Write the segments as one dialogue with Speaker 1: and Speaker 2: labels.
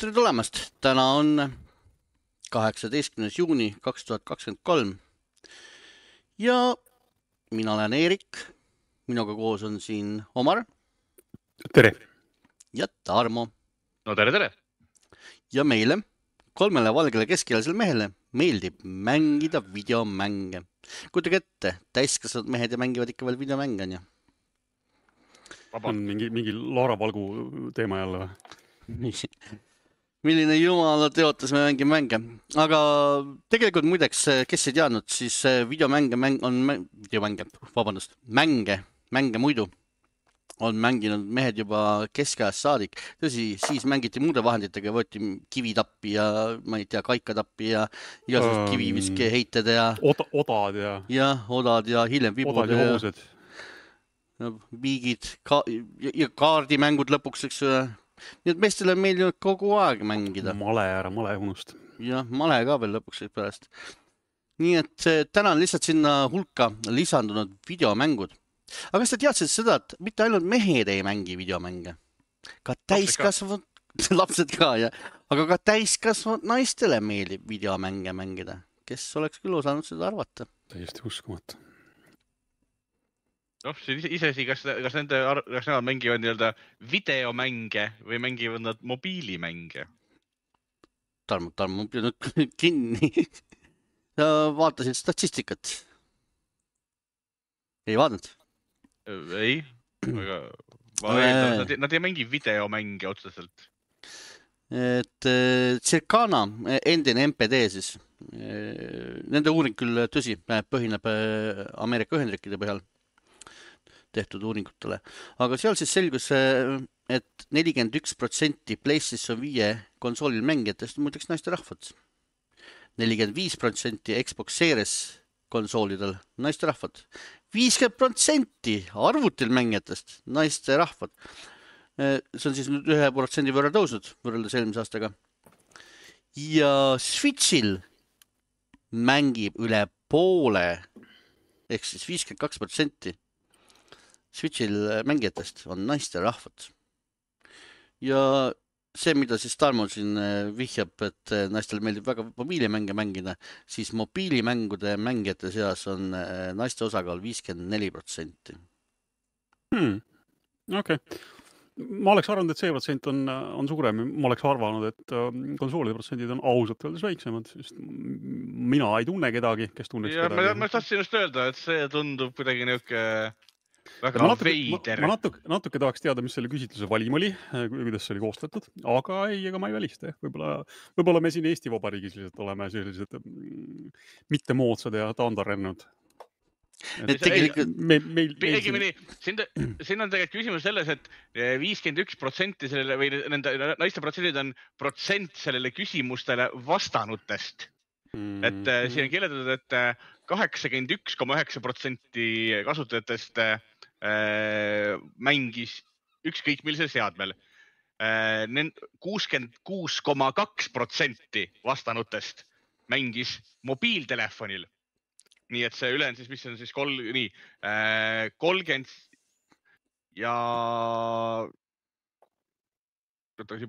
Speaker 1: Tere tulemast! Täna on 18. juuni 2023 ja mina olen Eerik. Minuga koos on siin Omar.
Speaker 2: Tere!
Speaker 1: Ja Tarmo.
Speaker 3: No tere!
Speaker 1: Ja meile, kolmele valgele keskealisele mehele, meeldib mängida videomänge. Kujutage ette, täiskasvanud mehed ja mängivad ikka veel videomänge, on ju?
Speaker 2: On mingi Laara Valgu teema jälle või?
Speaker 1: Milline jumala teotas me mängime mänge. Aga tegelikult muideks, kes ei teadnud, siis mänge muidu on mänginud mehed juba keskajast saadik. Tõsi, siis mängiti muude vahenditega, võeti kivitappi ja ma ei tea, kaikatappi ja igasugused kiviviske heited ja
Speaker 2: odad
Speaker 1: ja hiljem vibud
Speaker 2: ja hoosed.
Speaker 1: Viigid ja kaardimängud lõpuks, eks ju. Nii et meestele on meeldinud kogu aeg mängida.
Speaker 2: Male unust.
Speaker 1: Ja male ka veel lõpuks pärast. Nii et täna on lihtsalt sinna hulka lisandunud videomängud. Aga kas te teadsid seda, et mitte ainult mehed ei mängi videomänge? Ka täiskasvanud, lapsed ka, ja. Aga ka täiskasvanud naistele meeldib videomänge mängida. Kes oleks küll osanud seda arvata?
Speaker 2: Täiesti uskumatu.
Speaker 3: Isesi, kas nemad mängivad nii-öelda videomänge või mängivad nad mobiilimänge?
Speaker 1: Tarmo nüüd kinni. Sa vaatasid statistikat? Ei vaadanud?
Speaker 3: Ei, aga nad ei mängi videomänge otseselt.
Speaker 1: Et Circana, endine MPD siis. Nende uuring küll tõsi, põhineb Ameerika Ühendriikide põhjal tehtud uuringutele. Aga seal siis selgus, et 41% PlayStation 5 konsoolil mängijatest on muideks naiste rahvad. 45% Xbox Series konsoolidel naiste rahvad. 50% arvutil mängijatest naiste rahvad. See on siis nüüd 1% võrra tõusnud võrreldes eelmise aastaga. Ja Switchil mängib üle poole, ehk siis 52%. Switchil mängijatest on naiste rahvad. Ja see, mida siis Tarmo siin vihjab, et naistel meeldib väga mobiilimänge mängida, siis mobiilimängude mängijate seas on naiste osakaal 54%.
Speaker 2: Okei. Ma oleks arvanud, et see protsent on suurem. Ma oleks arvanud, et konsoolide protsendid on ausalt öeldes väiksemad. Mina ei tunne kedagi, kes tunneks kedagi.
Speaker 3: Ma tahtsin just öelda, et see tundub kuidagi niuke väga veider.
Speaker 2: Ma natuke tahaks teada, mis selle küsitluse valim oli, kuidas see oli koostatud, aga ma ei välista. Võib-olla me siin Eesti Vabariigis lihtsalt oleme sellised mitte moodsad ja taandarennud.
Speaker 3: Õigemini, siin on tegelikult küsimus selles, et 51% sellele või nende naiste protsendid on protsent sellele küsimustele vastanutest. Et siin on kirjeldatud, et 81,9% kasutajatest mängis ükskõik millisel seadmel. 66,2% vastanutest mängis mobiiltelefonil. Nii et see ülen siis, mis on siis 30 ja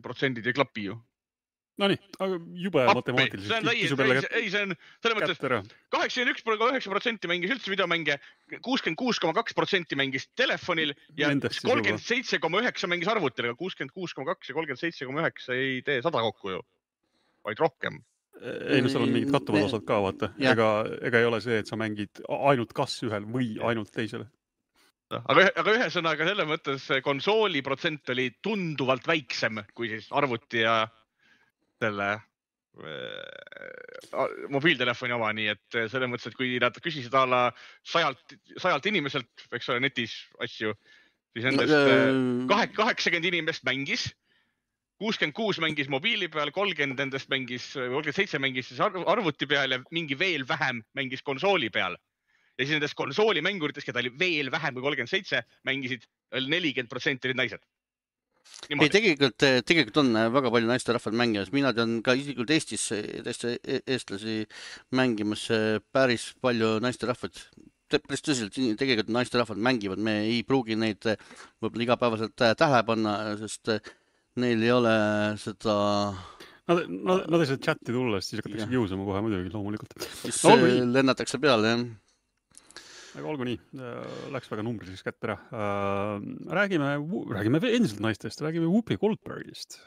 Speaker 3: protsendid ei klapi ju.
Speaker 2: No nii, aga jube matemaatiliselt.
Speaker 3: Ei, see on selles mõttes 81,9% mängis üldse videomänge, 66,2% mängis telefonil ja 37,9% mängis arvutil, aga 66,2 ja 37,9 ei tee 100 kokku ju, vaid rohkem.
Speaker 2: Ei, no seal on mingid kattuvad osad ka, vaata. Ega ei ole see, et sa mängid ainult kas ühel või ainult teisele.
Speaker 3: Aga ühesõnaga selles mõttes konsooli protsent oli tunduvalt väiksem kui siis arvuti ja selle mobiiltelefoni oma, nii et selles mõttes, et kui nad küsisid alla 100 inimeselt, eks ole, netis asju, siis nendest 80 inimest mängis, 66 mängis mobiili peal, 30 endast mängis, 37 mängis siis arvuti peal ja mingi veel vähem mängis konsooli peal. Ja siis nendest konsoolimängurites, keda oli veel vähem kui 37, mängisid 40% olid naised.
Speaker 1: Ei, tegelikult on väga palju naiste rahvad mängimas. Mina tean ka isiklikult Eestis eestlasi mängimas päris palju naiste rahvad. Päris tõsiselt tegelikult naiste rahvad mängivad. Me ei pruugi neid võib-olla igapäevaselt tähele panna, sest neil ei ole seda...
Speaker 2: Nad ei saa chatti tulla, siis hakatakse kiusama kohe muidugi loomulikult.
Speaker 1: Siis lennatakse peale, jah.
Speaker 2: Aga olgu nii, läks väga numbriliseks kätte ära. Räägime endiselt naistest, räägime Whoopi Goldbergist.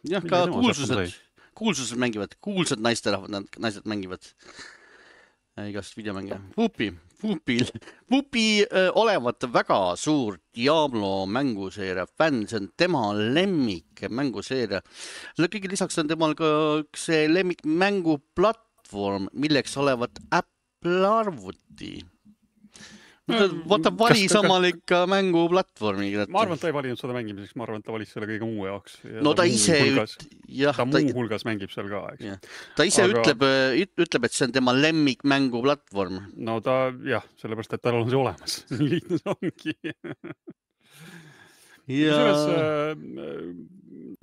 Speaker 1: Jah, ka kuulsused mängivad, kuulsad naised mängivad igast videomänge. Whoopi olevat väga suur Diablo mänguseeria fänn, see on tema lemmik mänguseeria. Kõige lisaks on temal ka see lemmik mänguplatvorm, milleks olevat Apple arvuti. Vaata, valis omal ikka mänguplatvormi.
Speaker 2: Ma arvan, et ta ei valinud seda mängimiseks, ma arvan, et ta valis selle kõige muu jaoks.
Speaker 1: No ta ise
Speaker 2: muu hulgas mängib seal ka, eks.
Speaker 1: Ta ise ütleb, et see on tema lemmik mänguplatvorm.
Speaker 2: No ta, jah, sellepärast, et tal on see olemas. Nii lihtne see ongi.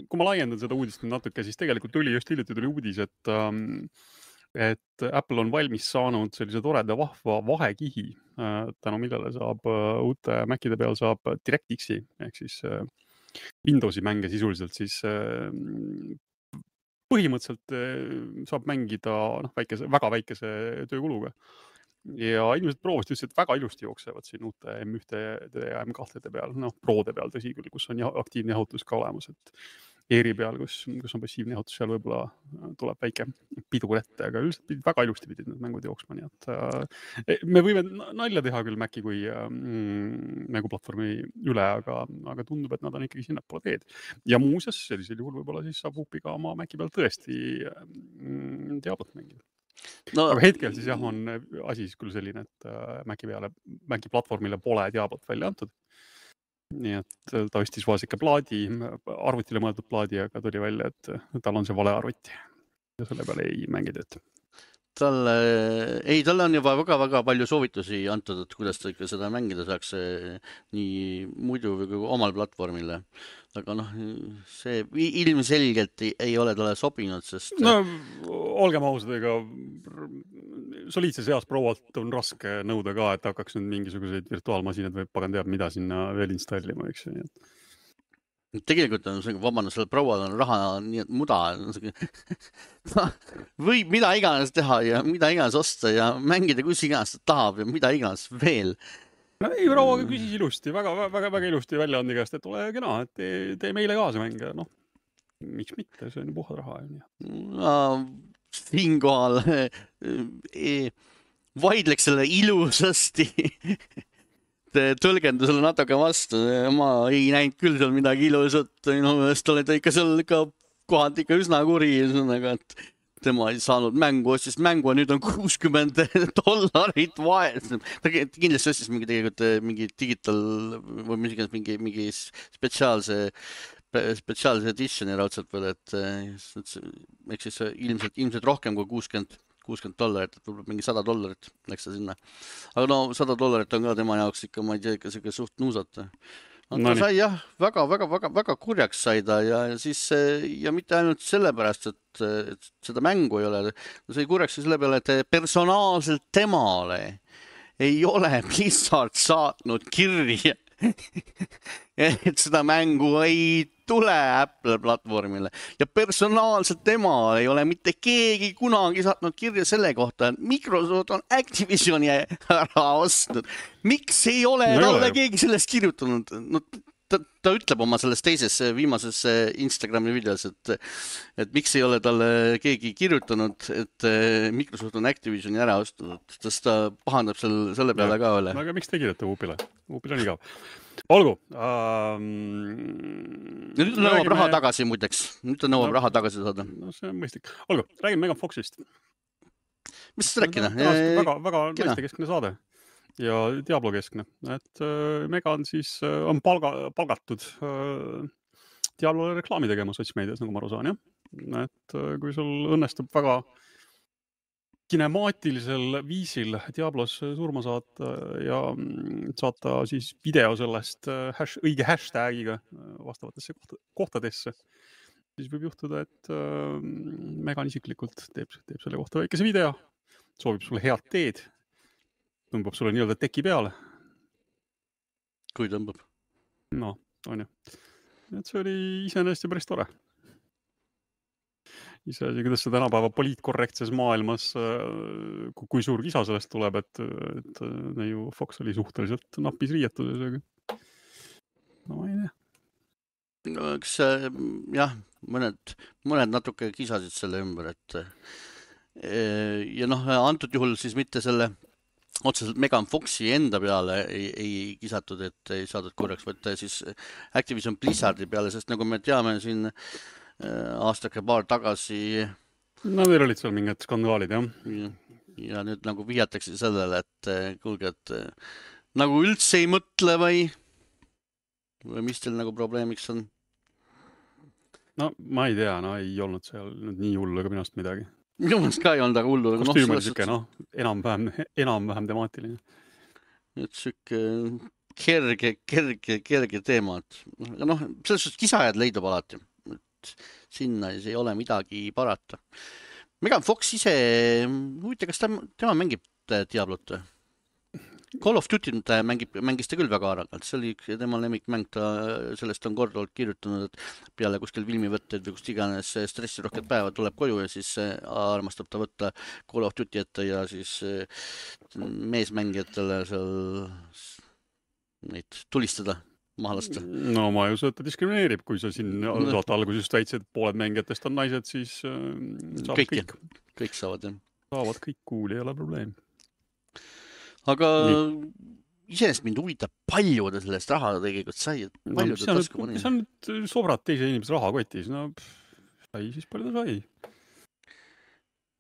Speaker 2: Kui ma laiendan seda uudist natuke, siis tegelikult tuli uudis, et Apple on valmis saanud sellise toreda vahva vahekihi, tänu millele saab uute Macide peal saab DirectXi ehk siis Windowsi mänge sisuliselt siis põhimõtteliselt saab mängida väga väikese töökuluga. Ja inimesed proovisid ütlesid, et väga ilusti jooksevad siin uute M1 ja M2 peal, Prode peal tõsi küll, kus on aktiivne jahutus ka olemas, et Airi peal, kus on passiivne jahutus, seal võib-olla tuleb väike pidur ette, aga üldiselt väga ilusti pidid need mängud jooksma, nii et me võime nalja teha küll Maci kui mänguplatvormi üle, aga tundub, et nad on ikkagi sinnapoole teed. Ja muuseas, sellisel juhul võib-olla siis saab Whoopiga oma Maci peal tõesti Diablot mängida. Aga hetkel siis jah, on asi siis küll selline, et Maci platvormile pole Diablot välja antud. Nii et ta ostis vaasike plaadi, arvutile mõeldud plaadi, aga tuli välja, et tal on see vale arvuti ja selle peale ei mängi tööd.
Speaker 1: Talle on juba väga palju soovitusi antud, et kuidas ta ikka seda mängida saaks nii muidu või omal platvormile. Aga see ilmselgelt ei ole talle sobinud, sest...
Speaker 2: No, olgem ausad, ega soliidses eas proualt on raske nõuda ka, et hakkaks nüüd mingisuguseid virtuaalmasinad või pagan teab, mida sinna veel installima, eks.
Speaker 1: Tegelikult on see, vabandus, selle proual on raha nii et muda. Võib mida iganes teha ja mida iganes osta ja mängida kus iganes ta tahab ja mida iganes veel.
Speaker 2: No ei, prouaga küsis ilusti, väga ilusti välja on igast, et ole kena, et tee meile kaasa mänge. Miks mitte, see on puhad raha.
Speaker 1: Siinkohal vaidleks selle ilusasti tõlgendusele natuke vastu. Ma ei näinud küll seal midagi ilusat. Minu meelest oli ta ikka seal kohalt ikka üsna kuri, et tema ei saanud mängu, ostis mängu ja nüüd on $60 vaes. Ta kindlasti ostis mingi digital või mingi spetsiaalse editioni raudselt veel, et siis ilmselt rohkem kui $60, et võib-olla mingi $100 läks ta sinna. Aga $100 on ka tema jaoks ikka, ma ei tea, ikka suht nuusata. Ta sai jah, väga kurjaks sai ta ja siis ja mitte ainult sellepärast, et seda mängu ei ole, ta sai kurjaks selle peale, et personaalselt temale ei ole Blizzard saatnud kirja, et seda mängu ei tule Apple platvormile ja personaalselt tema ei ole mitte keegi kunagi saatnud kirja selle kohta, et Microsoft on Activisioni ära ostnud. Miks ei ole talle keegi sellest kirjutanud? Ta ütleb oma selles teises viimases Instagrami videos, et miks ei ole talle keegi kirjutanud, et Microsoft on Activisioni ära ostnud, sest ta pahandab selle peale ka üle.
Speaker 2: Aga miks te kirjutate Whoopile? Whoopile on igav. Olgu.
Speaker 1: Nüüd ta nõuab raha tagasi muideks. Nüüd ta nõuab raha tagasi saada.
Speaker 2: No see on mõistlik. Olgu, räägime Megan Foxist.
Speaker 1: Mis seda rääkida?
Speaker 2: Väga naistekeskne saade ja Diablo keskne. Et Megan siis on palgatud Diablole reklaami tegema sotsmeedias, nagu ma aru saan, jah. Et kui sul õnnestub väga kinemaatilisel viisil Diablos surma saata ja saata siis video sellest õige hashtagiga vastavatesse kohtadesse, siis võib juhtuda, et Megan isiklikult teeb selle kohta väikese video, soovib sulle head teed, tõmbab sulle nii-öelda teki peale.
Speaker 1: Kui tõmbab?
Speaker 2: No, on ju. et see oli iseenesest ju päris tore. Iseasi, kuidas see tänapäeva poliitkorrektses maailmas, kui suur kisa sellest tuleb, et ju Fox oli suhteliselt napis riietuses, aga no ma ei tea.
Speaker 1: No, eks jah, mõned natuke kisasid selle ümber, et ja noh, antud juhul siis mitte selle otseselt Megan Foxi enda peale ei kisatud, et ei saadud korraks võtta siis Activision Blizzardi peale, sest nagu me teame siin aastake paar tagasi
Speaker 2: no meil olid seal mingid skandaalid, jah.
Speaker 1: Ja nüüd nagu vihjatakse sellele, et kuulge, et nagu üldse ei mõtle või mis teil nagu probleemiks on?
Speaker 2: No ma ei tea, no ei olnud seal nüüd nii hullu ega minust midagi.
Speaker 1: Minu mõnest ka ei olnud aga hullu.
Speaker 2: Kostüüm oli siuke, enam-vähem temaatiline.
Speaker 1: Et siuke kerge teema. Noh, selles suhtes kisajad leidub alati. Et sinna ei ole midagi parata. Megan Fox ise, huvita, kas tema mängib Diablot? Call of Duty mängis ta küll väga arvalt. See oli tema lemmikmäng, sellest on korduvalt kirjutanud, et peale kuskil filmivõtteid või kust iganes stressirohked päeva tuleb koju ja siis armastab ta võtta Call of Duty ette ja siis meesmängijatele seal neid tulistada, maha lasta.
Speaker 2: No ma ju ta diskrimineerib, kui sa siin saate alguses just väitsid, et pooled mängijatest on naised, siis saavad
Speaker 1: kõik saavad, jah.
Speaker 2: Saavad kõik kuuli, ei ole probleem.
Speaker 1: Aga iseenesest mind huvitab, palju ta sellest raha tegelikult sai.
Speaker 2: See on nüüd sobrad teise inimese raha kotis. No sai siis palju ta sai.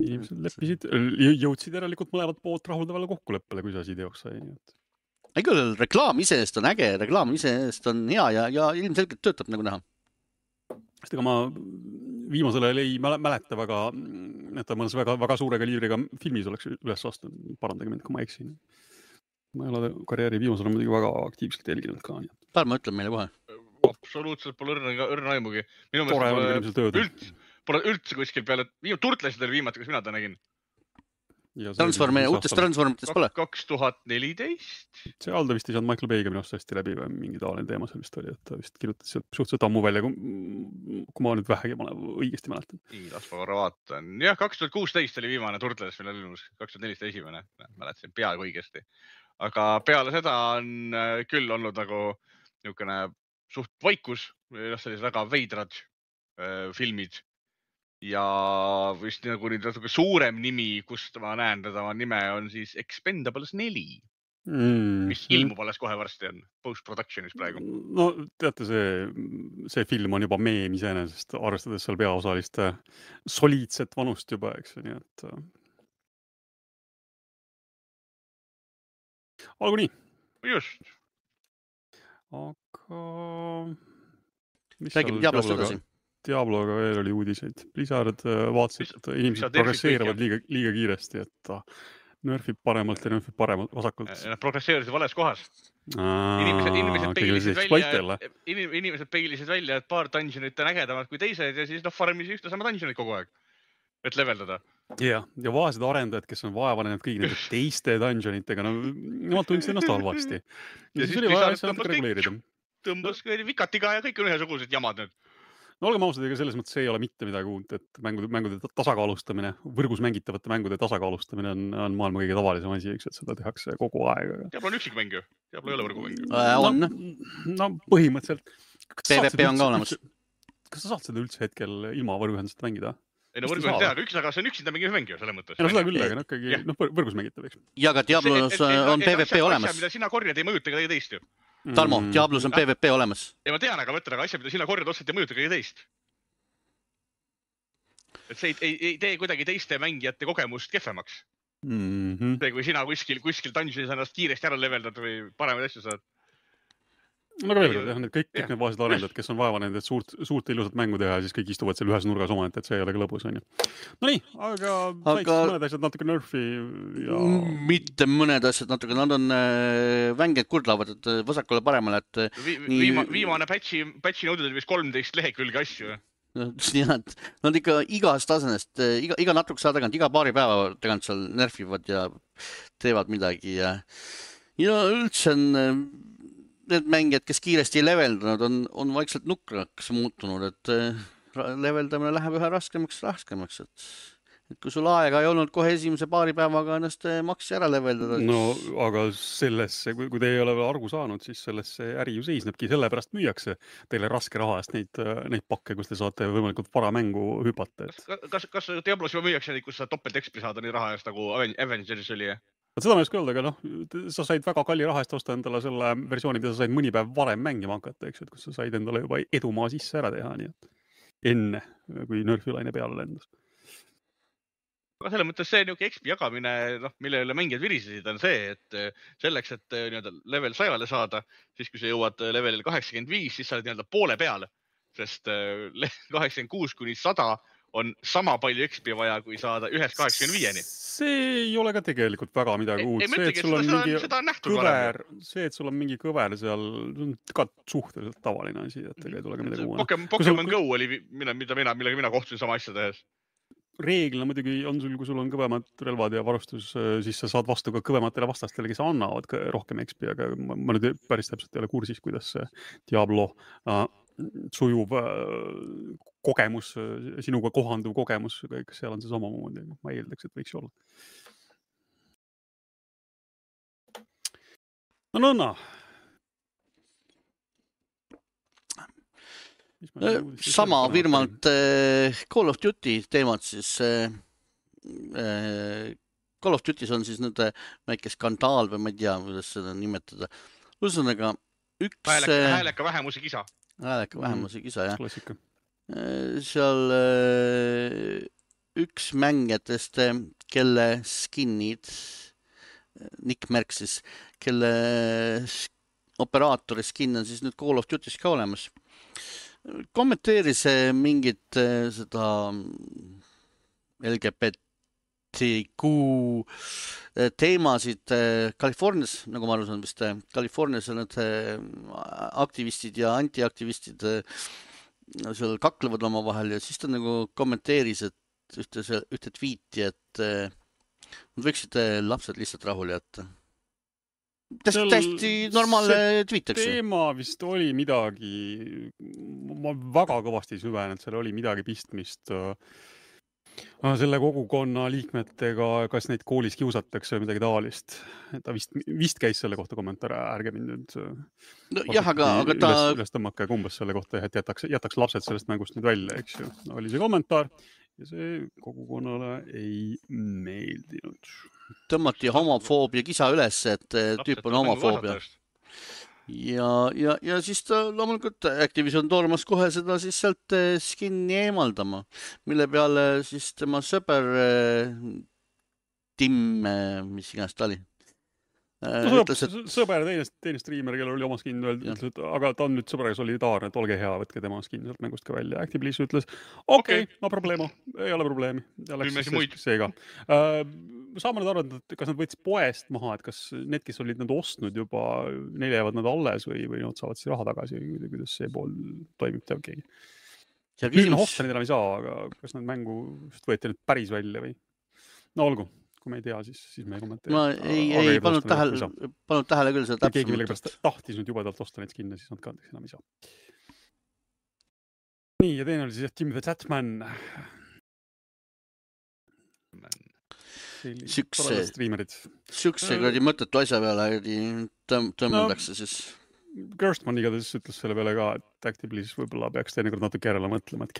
Speaker 2: Inimesed leppisid, jõudsid järelikult mõlemat poolt rahuldavale kokkuleppele, kui see asi teoks sai.
Speaker 1: Ei küll, reklaam iseenesest on äge, reklaam iseenesest on hea ja ilmselgelt töötab nagu näha.
Speaker 2: Sest ega ma viimasele ei mäleta väga, et ta mõnes väga suure kaliibriga filmis oleks üles astunud. Parandage mind, kui ma eksin. Ma ei ole karjääri viimasel muidugi väga aktiivselt jälginud ka.
Speaker 1: Pärma ütleb meile kohe.
Speaker 3: Absoluutselt pole õrna aimugi. Minu
Speaker 2: meelest
Speaker 3: pole üldse kuskil peale, turtlesid oli viimati, kus mina ta nägin.
Speaker 1: Uutest Transformitest pole?
Speaker 3: 2014.
Speaker 2: See Aldo vist ei saanud Michael Bay'ga minust hästi läbi või mingi taoline teema seal vist oli, et ta vist kirjutas suhteliselt ammu välja, kui ma nüüd vähegi õigesti mäletan.
Speaker 3: Las ma korra vaatan. Jah, 2016 oli viimane Turtles, millel ilmus 2014 esimene. Mäletasin peaaegu õigesti. Aga peale seda on küll olnud nagu niisugune suht vaikus, sellised väga veidrad filmid. Ja vist nagu nüüd natuke suurem nimi, kust ma näen teda nime, on siis Expendables 4, mis ilmub alles kohe varsti on, post-productionis praegu.
Speaker 2: No teate, see film on juba meem iseenesest, arvestades seal peaosaliste soliidset vanust juba, eks nii, et olgu nii.
Speaker 3: Just.
Speaker 2: Aga
Speaker 1: räägime Diablost edasi.
Speaker 2: Diabloga veel oli uudiseid. Blizzard vaatasid, et inimesed progresseerivad liiga kiiresti, et nörfib paremalt ja nörfib vasakult.
Speaker 3: Nad progresseerisid vales kohas. Inimesed peilisid välja, et paar dungeonit on ägedamad kui teised ja siis farmisid ühte sama dungeonit kogu aeg, et leveldada.
Speaker 2: Ja vaesed arendajad, kes on vaevanenud kõik nende teiste dungeonitega, nemad tundsid ennast halvasti. Ja siis oli vaja asja natuke reguleerida.
Speaker 3: Tõmbas vikatiga ja kõik on ühesugused jamad nüüd.
Speaker 2: No olgem ausad, ega selles mõttes ei ole mitte midagi uut, et mängude tasakaalustamine, võrgus mängitavate mängude tasakaalustamine on maailma kõige tavalisem asi, eks, et seda tehakse kogu aeg.
Speaker 3: Diablo on üksikmäng ju, Diablo ei ole võrgumäng.
Speaker 1: On.
Speaker 2: No põhimõtteliselt.
Speaker 1: PvP on ka olemas.
Speaker 2: Kas sa saad seda üldse hetkel ilma võrguühendust mängida?
Speaker 3: Ei no võrguühendust teha, aga see on üksinda mingi mäng ju selles mõttes.
Speaker 2: Ja no seda küll, aga ikkagi võrgus mängitav, eks.
Speaker 1: Ja ka Diablos on PvP olemas.
Speaker 3: Asja, mida sina korjad, ei mõjuta kõige teist ju.
Speaker 1: Tarmo, Diablos on PvP olemas.
Speaker 3: Ja ma tean, aga mõtlen, aga asja, mida sina korjad otseselt ei mõjuta kõige teist. Et see ei tee kuidagi teiste mängijate kogemust kehvemaks. See, kui sina kuskil dungeonis ennast kiiresti ära leveldad või paremaid asju saad.
Speaker 2: No aga veel kord, jah, kõik need vaesed arendajad, kes on vaeva nende suurt ilusat mängu teha, siis kõik istuvad seal ühes nurgas omaette, et see ei ole ka lõbus, on ju. No nii, aga said mõned asjad natuke nerfi ja...
Speaker 1: Mitte mõned asjad natuke, nad on vänged kurdlavad, et vasakule paremale, et...
Speaker 3: Viimane patchi nõudud vist 13 lehekülge asju.
Speaker 1: Nad ikka igast tasemest, iga natukese aja tagant, iga paari päeva tagant seal nerfivad ja teevad midagi ja üldse on... need mängijad, kes kiiresti ei leveldanud, on vaikselt nukraks muutunud, et leveldamine läheb ühe raskemaks, et kui sul aega ei olnud kohe esimese paari päevaga ennast maksi ära leveldada.
Speaker 2: No aga sellesse, kui te ei ole veel aru saanud, siis sellesse äri ju seisnebki, sellepärast müüakse teile raske raha eest neid pakke, kus te saate võimalikult vara mängu hüpata.
Speaker 3: Kas Diablos juba müüakse neid, kus sa topelt XP saada nii raha eest nagu Avengeris oli?
Speaker 2: Seda ma ei oska öelda, aga sa said väga kalli raha eest osta endale selle versiooni, mida sa said mõni päev varem mängima hakata, eks, et kus sa said endale juba edumaa sisse ära teha, nii et enne, kui nörfilaine peale lendas.
Speaker 3: Aga selle mõttes see XP jagamine, mille üle mängijad virisesid, on see, et selleks, et level 100-le saada, siis kui sa jõuad levelil 85, siis sa oled poole peal, sest 86 kuni 100 on sama palju XP vaja, kui saada 1-85-ni.
Speaker 2: See ei ole ka tegelikult väga midagi uut.
Speaker 3: Seda on nähtud
Speaker 2: kõver, see, et sul on mingi kõver seal, see on ka suhteliselt tavaline asi, et ei tule ka midagi uue.
Speaker 3: Pokemon Go oli, millega mina kohtusin sama asja tehes.
Speaker 2: Reeglina muidugi on sul, kui sul on kõvemad relvad ja varustus, siis sa saad vastu ka kõvematele vastastele, kes annavad rohkem XP, aga ma nüüd päris täpselt ei ole kursis, kuidas see Diablo sujuv kogemus, sinuga kohanduv kogemus, kas seal on see samamoodi, ma eeldaks, et võiks olla. No Nõnna.
Speaker 1: Sama firmalt Call of Duty teemad siis. Call of Duty's on siis nüüd väike skandaal või ma ei tea, kuidas seda nimetada. Ühesõnaga,
Speaker 3: hääleka vähemuse kisa.
Speaker 1: Hääleka vähemuse kisa, jah.
Speaker 2: Klassika.
Speaker 1: Seal üks mängijatest, kelle skinnid, Nick Merck siis, kelle operaatori skin on siis nüüd Call of Duty's ka olemas. Kommenteeris mingit seda LGBTQ teemasid Californias, nagu ma aru saan vist, Californias on need aktivistid ja antiaktivistid seal kaklevad oma vahel ja siis ta nagu kommenteeris, et ühte tweeti, et nad võiksid lapsed lihtsalt rahule jätta. Täiesti normaalne tweet, eks.
Speaker 2: Teema vist oli midagi, ma väga kõvasti süvenenud, seal oli midagi pistmist selle kogukonna liikmetega, kas neid koolis kiusatakse või midagi taolist. Ta vist käis selle kohta kommentaar, ärge mind nüüd
Speaker 1: jah, aga ta
Speaker 2: üles tõmmake kumbas selle kohta, et jätaks lapsed sellest mängust nüüd välja, eks ju. Oli see kommentaar ja see kogukonnale ei meeldinud.
Speaker 1: Tõmmati homofoobia kisa üles, et tüüp on homofoobia. Ja siis ta loomulikult Activision tormas kohe seda siis sealt skinni eemaldama, mille peale siis tema sõber Tim, mis iganes ta oli.
Speaker 2: Sõber, teine striimer, kellel oli oma skin, ütles, aga ta on nüüd sõbrega solidaarne, et olge hea, võtke tema skin sealt mängust ka välja. Activision ütles, okei, no probleemo, ei ole probleemi. Seega. Saame nüüd arvata, et kas nad võttis poest maha, et kas need, kes olid nad ostnud juba, neile jäävad nad alles või nad saavad siis raha tagasi, kuidas see pool toimib, teab keegi. Nüüd hosta neid enam ei saa, aga kas nad mängu võeti nüüd päris välja või? No olgu. Kui me ei tea, siis me ei kommenteeri.
Speaker 1: Ma ei pannud tähele küll seda täpsemalt.
Speaker 2: Keegi millegipärast tahtis nüüd jubedalt osta neid skinne, siis nad ka enam ei saa. Nii, ja teine oli siis Tim the Tatman.
Speaker 1: Siukse kuradi mõttetu asja peale tõmmeldakse siis.
Speaker 2: Gerstmann igatahes ütles selle peale ka, et Activision võib-olla peaks teinekord natuke järele mõtlema, et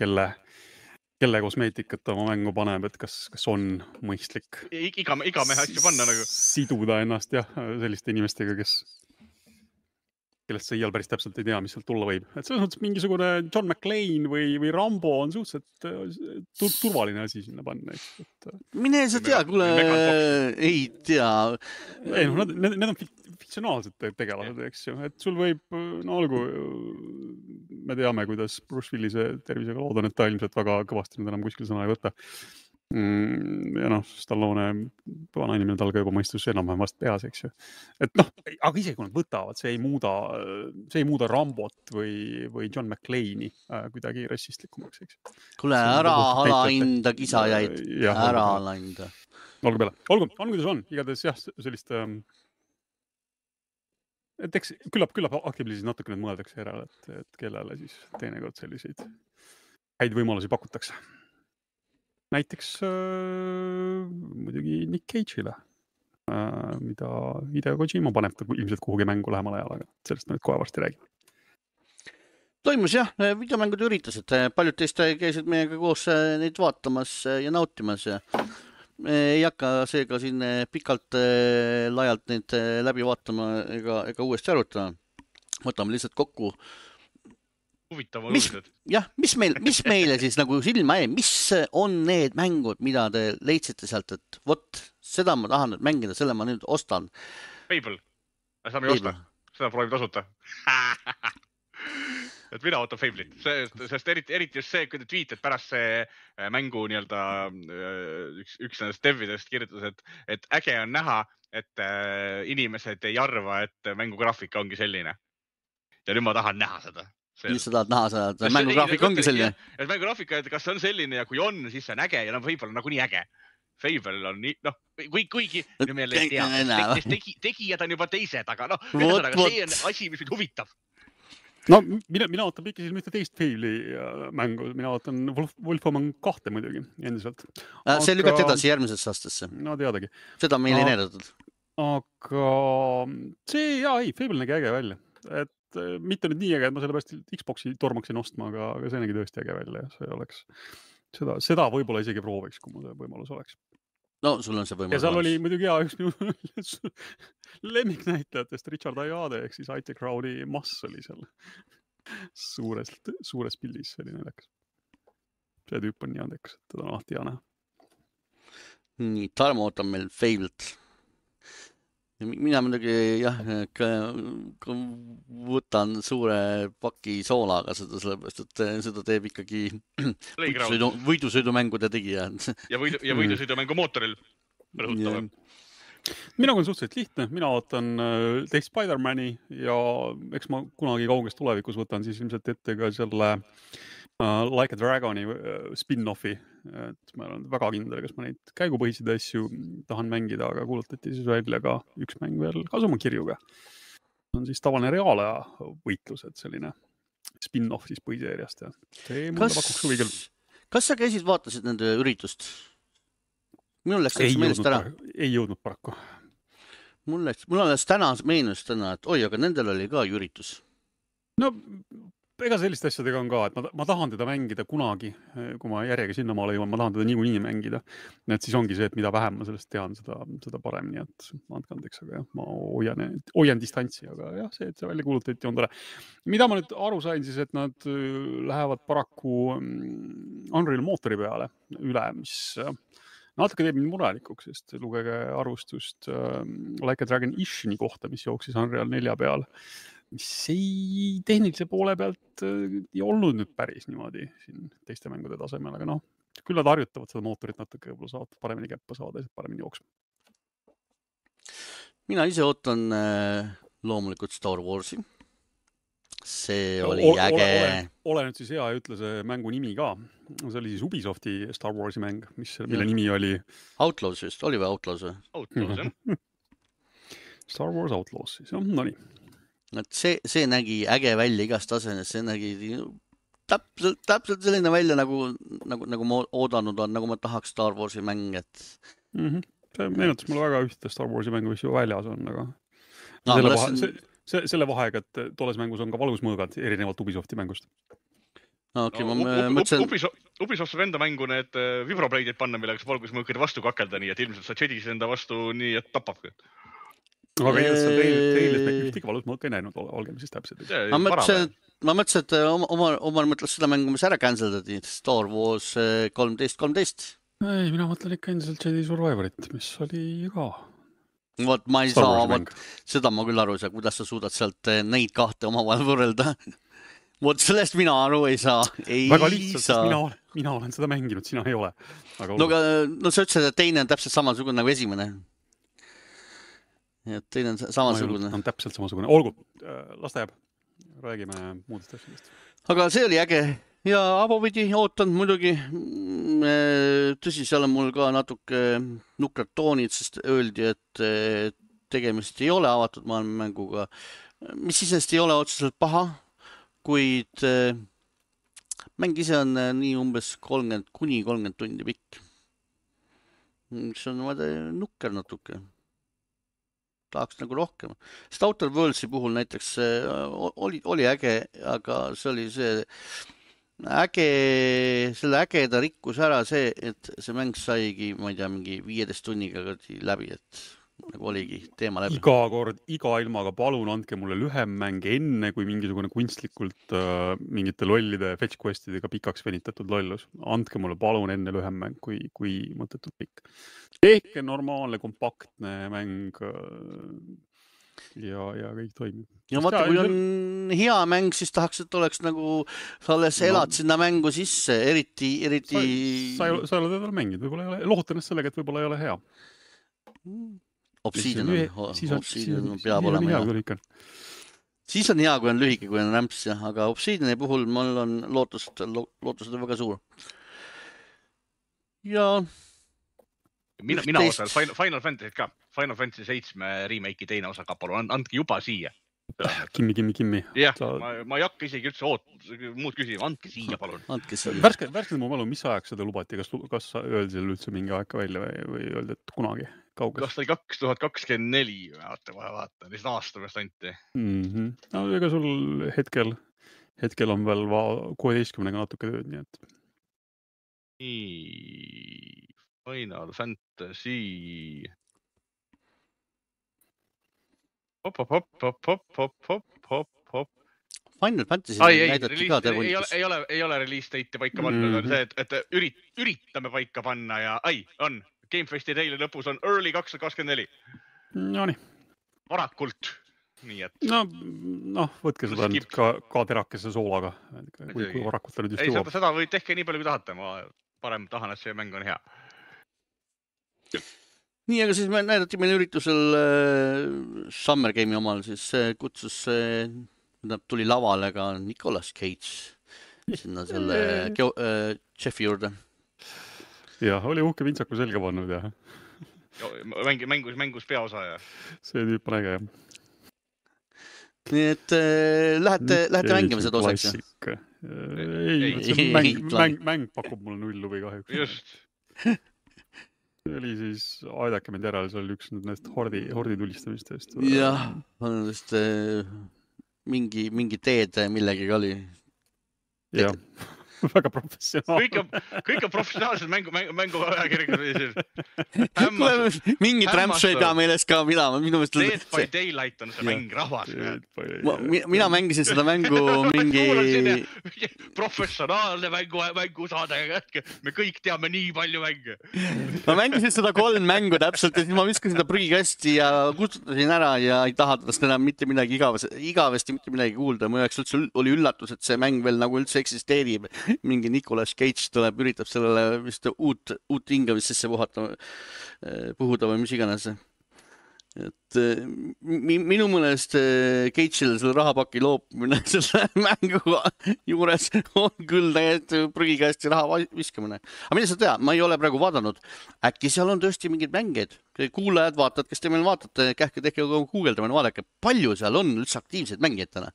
Speaker 2: kelle kosmeetikat oma mängu paneb, et kas on mõistlik
Speaker 3: iga mehe asju panna nagu.
Speaker 2: Siduda ennast jah, selliste inimestega, kellest sa iial päris täpselt ei tea, mis sealt tulla võib. Et selles mõttes mingisugune John McClane või Rambo on suhteliselt turvaline asi sinna panna.
Speaker 1: Mine sa tea, kuule, ei tea.
Speaker 2: Ei, need on fiktsionaalsed tegelased, eks ju. Et sul võib, no olgu, me teame, kuidas Bruce Willise tervisega loodan, et ta ilmselt väga kõvasti nüüd enam kuskil sõna ei võta. Ja Stallone vana inimene tal ka juba mõistus enam-vähem vast peas, eks ju. Et aga isegi kui nad võtavad, see ei muuda Rambot või John McClane'i kuidagi rassistlikumaks, eks ju.
Speaker 1: Kuule, ära alainda kisajaid, ära alainda.
Speaker 2: Olgu peale. Olgu, on kuidas on. Igatahes jah, sellist et eks küllap Activision'is siis natuke nüüd mõeldakse järele, et kellele siis teinekord selliseid häid võimalusi pakutakse. Näiteks muidugi Nick Cage'ile, mida Hideo Kojima paneb ta ilmselt kuhugi mängu lähemal ajal, aga sellest me nüüd kohe varsti räägime.
Speaker 1: Toimus jah, videomängude üritused. Paljud teist käisid meiega koos neid vaatamas ja nautimas ja ei hakka seega siin pikalt laialt neid läbi vaatama ega uuesti arutama. Võtame lihtsalt kokku.
Speaker 3: Huvitav on uudised.
Speaker 1: Jah, mis meile siis nagu silma jäi, mis on need mängud, mida te leidsite sealt, et vot, seda ma tahan nüüd mängida, selle ma nüüd ostan.
Speaker 3: Fable. Seda me ei osta. Seda proovib tasuta. Et mina ootan Fable'it, sest eriti just see, kui te tweeted pärast see mängu nii-öelda üks nendest devidest kirjutas, et äge on näha, et inimesed ei arva, et mängu graafika ongi selline. Ja nüüd ma tahan näha seda.
Speaker 1: Mis sa tahad näha seda, et mängu graafika ongi selline?
Speaker 3: Et mängu graafika, et kas see on selline ja kui on, siis see on äge ja Fable on nagunii äge. Fable on nii, kuigi tegijad on juba teised, aga see on asi, mis mind huvitab.
Speaker 2: No mina ootan pikisil mitte teist Fable'i mängu, mina ootan Wolfenstein 2 muidugi endiselt.
Speaker 1: See lükati edasi järgmisesse aastasse.
Speaker 2: No teadagi.
Speaker 1: Seda meil ei näidatud.
Speaker 2: Aga see, Fable nägi äge välja. Et mitte nüüd nii äge, et ma sellepärast Xboxi tormaksin ostma, aga see nägi tõesti äge välja ja see oleks seda võib-olla isegi prooviks, kui mul see võimalus oleks.
Speaker 1: No, sul on see võimalus.
Speaker 2: Ja seal oli muidugi üks minu lemmiknäitlejatest Richard Ayoade ehk siis IT Crowd'i mass oli seal suures pildis, see oli naljakas. See tüüp on nii andekas, et teda on alati hea näha.
Speaker 1: Nii, Tarmo ootab meil Fable't. Mina muidugi võtan suure paki soolaga seda, sellepärast, et seda teeb ikkagi võidusõidumängude tegija.
Speaker 3: Ja võidusõidumängu mootoril rõhutame.
Speaker 2: Mina on suhteliselt lihtne, mina ootan teist Spider-Mani ja eks ma kunagi kauges tulevikus võtan siis ilmselt ette ka selle Like a Dragoni spin-offi, et ma olen väga kindel, kas ma neid käigupõhiseid asju tahan mängida, aga kuulutati siis välja ka üks mäng veel Kasumakirjuga. See on siis tavaline reaalaja võitlus, et selline spin-off siis põhiseeriast ja see mulle pakuks huvi küll.
Speaker 1: Kas sa käisid, vaatasid nende üritust? Minul läks meelest ära.
Speaker 2: Ei jõudnud paraku.
Speaker 1: Mul alles täna meenus, et oi, aga nendel oli ka üritus.
Speaker 2: No, ega selliste asjadega on ka, et ma tahan teda mängida kunagi, kui ma järjega sinna maale jõuan, ma tahan teda niikuinii mängida. Et siis ongi see, et mida vähem ma sellest tean, seda paremini, et andke andeks, aga jah, ma hoian distantsi, aga jah, see, et see välja kuulutati on tore. Mida ma nüüd aru sain siis, et nad lähevad paraku Unreal mootori peale üle, mis natuke teeb mind murelikuks, sest lugege arvustust Like a Dragon Ishini kohta, mis jooksis Unreal 4 peal, mis ei tehnilise poole pealt ei olnud nüüd päris niimoodi siin teiste mängude tasemel, aga küll nad harjutavad seda mootorit natuke, võib-olla saavad paremini käppa saada ja paremini jooksma.
Speaker 1: Mina ise ootan loomulikult Star Warsi. See oli äge.
Speaker 2: Ole nüüd siis hea ja ütle see mängu nimi ka. See oli siis Ubisofti Star Warsi mäng, mille nimi oli...
Speaker 1: Outlaws just, oli või Outlaws või?
Speaker 3: Outlaws, jah.
Speaker 2: Star Wars Outlaws siis, no nii.
Speaker 1: See nägi äge välja igast tasemes, see nägi täpselt selline välja, nagu ma oodanud on, nagu ma tahaks Star Warsi mäng, et...
Speaker 2: See meenutas mulle väga ühte Star Warsi mängu, mis ju väljas on, aga... Selle vahega, et tolles mängus on ka valgusmõõgad erinevalt Ubisofti mängust.
Speaker 3: Ubisoft saab enda mängu need vibrobladeid panna, millega saab valgusmõõgade vastu kakelda, nii et ilmselt sa Jedis enda vastu nii, et tapab.
Speaker 2: Aga treilis me ühtegi valgusmõõka ei näinud, olgem siis täpselt.
Speaker 1: Ma mõtlesin, et Omar mõtles seda mängu, mis ära canceldati, Star Wars 13.
Speaker 2: Ei, mina mõtlen ikka endiselt Jedi Survivorit, mis oli ka...
Speaker 1: Vot ma ei saa, seda ma küll aru ei saa, kuidas sa suudad sealt neid kahte omavahel võrrelda. Vot sellest mina aru ei saa.
Speaker 2: Väga lihtsalt, sest mina olen seda mänginud, sina ei ole.
Speaker 1: No sa ütlesid, et teine on täpselt samasugune nagu esimene. Ja teine on samasugune.
Speaker 2: On täpselt samasugune. Olgu, las ta jääb. Räägime muudest asjadest.
Speaker 1: Aga see oli äge. Ja abopidi ootan muidugi, tõsi, seal on mul ka natuke nukrad toonid, sest öeldi, et tegemist ei ole avatud maailmamänguga, mis isest ei ole otseselt paha, kuid mäng ise on nii umbes 30 kuni 30 tundi pikk. See on nukker natuke. Tahaks nagu rohkem. Sest Outer Worldsi puhul näiteks oli äge, aga see oli selle ägeda rikkus ära see, et see mäng saigi, ma ei tea, mingi 15 tunniga läbi, et nagu oligi teema läbi.
Speaker 2: Iga kord, iga ilmaga palun andke mulle lühem mäng enne, kui mingisugune kunstlikult mingite lollide fetch questidega pikaks venitatud lollus. Andke mulle palun enne lühem mäng, kui mõttetult pikk. Tehke normaalne, kompaktne mäng ja kõik toimib.
Speaker 1: Ja vaata, kui on hea mäng, siis tahaks, et oleks nagu sa alles elad sinna mängu sisse, eriti...
Speaker 2: Sa ei ole veel mänginud, võib-olla ei ole, lohutan ennast sellega, et võib-olla ei ole hea.
Speaker 1: Obsidian peab olema hea. Siis on hea, kui on lühike, kui on rämps, aga Obsidiani puhul mul on lootused on väga suur. Ja
Speaker 3: mina osan Final Fantasy ka. Final Fantasy 7 remake'i teine osa ka, palun, andke juba siia.
Speaker 2: Kimmi.
Speaker 3: Jah, ma ei hakka isegi üldse muud küsima, andke siia, palun.
Speaker 2: Värskelt mu mälu, mis ajaks seda lubati, kas öeldi seal üldse mingi aeg välja või öeldi, et kunagi kauges?
Speaker 3: Kas ta oli 2024, vaata, lihtsalt aasta pärast anti.
Speaker 2: No ega sul hetkel on veel 16-ga natuke tööd, nii et.
Speaker 3: Final Fantasy.
Speaker 1: Final Fantasy näidati ka tervundikus.
Speaker 3: Ei ole release date'i paika pannud, on see, et üritame paika panna ja on. Gamefesti teile lõpus on early 2024.
Speaker 2: No nii.
Speaker 3: Varakult. Nii et.
Speaker 2: No, võtke seda nüüd ka terakese soolaga. Kui varakult ta nüüd just jõuab.
Speaker 3: Seda või tehke nii palju, kui tahate. Ma parem tahan, et see mäng on hea.
Speaker 1: Nii, aga siis näidati meil üritusel Summer Game'i omal, siis kutsus, tuli lavale ka Nicolas Cage sinna selle Jeffi juurde.
Speaker 2: Jah, oli uhke vintsaku selga pannud, jah.
Speaker 3: Mängus peaosa, jah.
Speaker 2: See tüüp on äge, jah.
Speaker 1: Nii et lähete mängima seda osaks?
Speaker 2: Ei, mäng pakub mulle nullu või kahjuks.
Speaker 3: Just.
Speaker 2: See oli siis, aidake mind järele, see oli üks nendest hordi tulistamistest.
Speaker 1: Jah, mingi teed millegi oli.
Speaker 2: Jah. Väga professionaal.
Speaker 3: Kõik on professionaalsed mängu ajakirjad.
Speaker 1: Mingi trämps ei pea meeles ka midama.
Speaker 3: Dead by Daylight on see mäng, rahvas.
Speaker 1: Mina mängisin seda mängu mingi...
Speaker 3: Professionaalne mängusaade. Me kõik teame nii palju mänge.
Speaker 1: Ma mängisin seda 3 mängu täpselt ja siis ma viskasin seda prügikasti ja kustutasin ära ja ei taha tast enam mitte midagi igavesti mitte midagi kuulda. Mu jaoks üldse oli üllatus, et see mäng veel nagu üldse eksisteerib. Mingi Nicolas Cage tuleb, üritab sellele vist uut hingamist sisse puhuda või mis iganes. Et minu mõnest Cage'ile selle rahapaki loopumine selle mängu juures on küll täiesti prügikäesti raha viskamine. Aga mida sa tead, ma ei ole praegu vaadanud. Äkki seal on tõesti mingid mängid. Kuulajad vaatad, kes te meil vaatate, kähke tehke guugeldamine, vaadake, palju seal on üldse aktiivseid mängijad täna.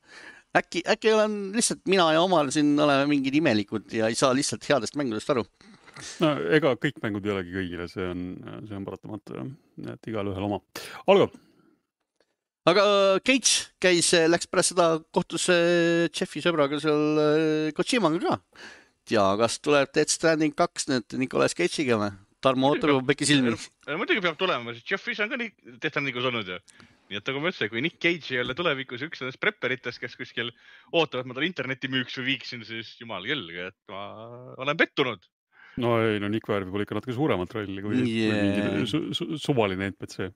Speaker 1: Äkki olen lihtsalt mina ja omal siin oleme mingid imelikud ja ei saa lihtsalt headest mängudest aru.
Speaker 2: No ega kõik mängud ei olegi kõigile, see on paratamatu, et igal ühel oma. Olgu!
Speaker 1: Aga Cage läks pärast seda kohtus Jeffi sõbraga seal Kojimaga ka. Ja kas tuleb Death Stranding 2 nüüd Nicolas Cage'iga või? Tarmo Ootaru pekki silmi.
Speaker 3: Muidugi peab tulema, sest Jeffis on ka Death Strandingus olnud ju. Nii et nagu ma ütlesin, kui Nick Cage ei ole tulevikus üks nendest prepperitest, kes kuskil ootavad, ma tal interneti müüks või viiksin, siis jumal kelge, et ma olen pettunud.
Speaker 2: No ei, Nick väärib võib-olla ikka natuke suuremat rolli kui mingi suvaline NPC.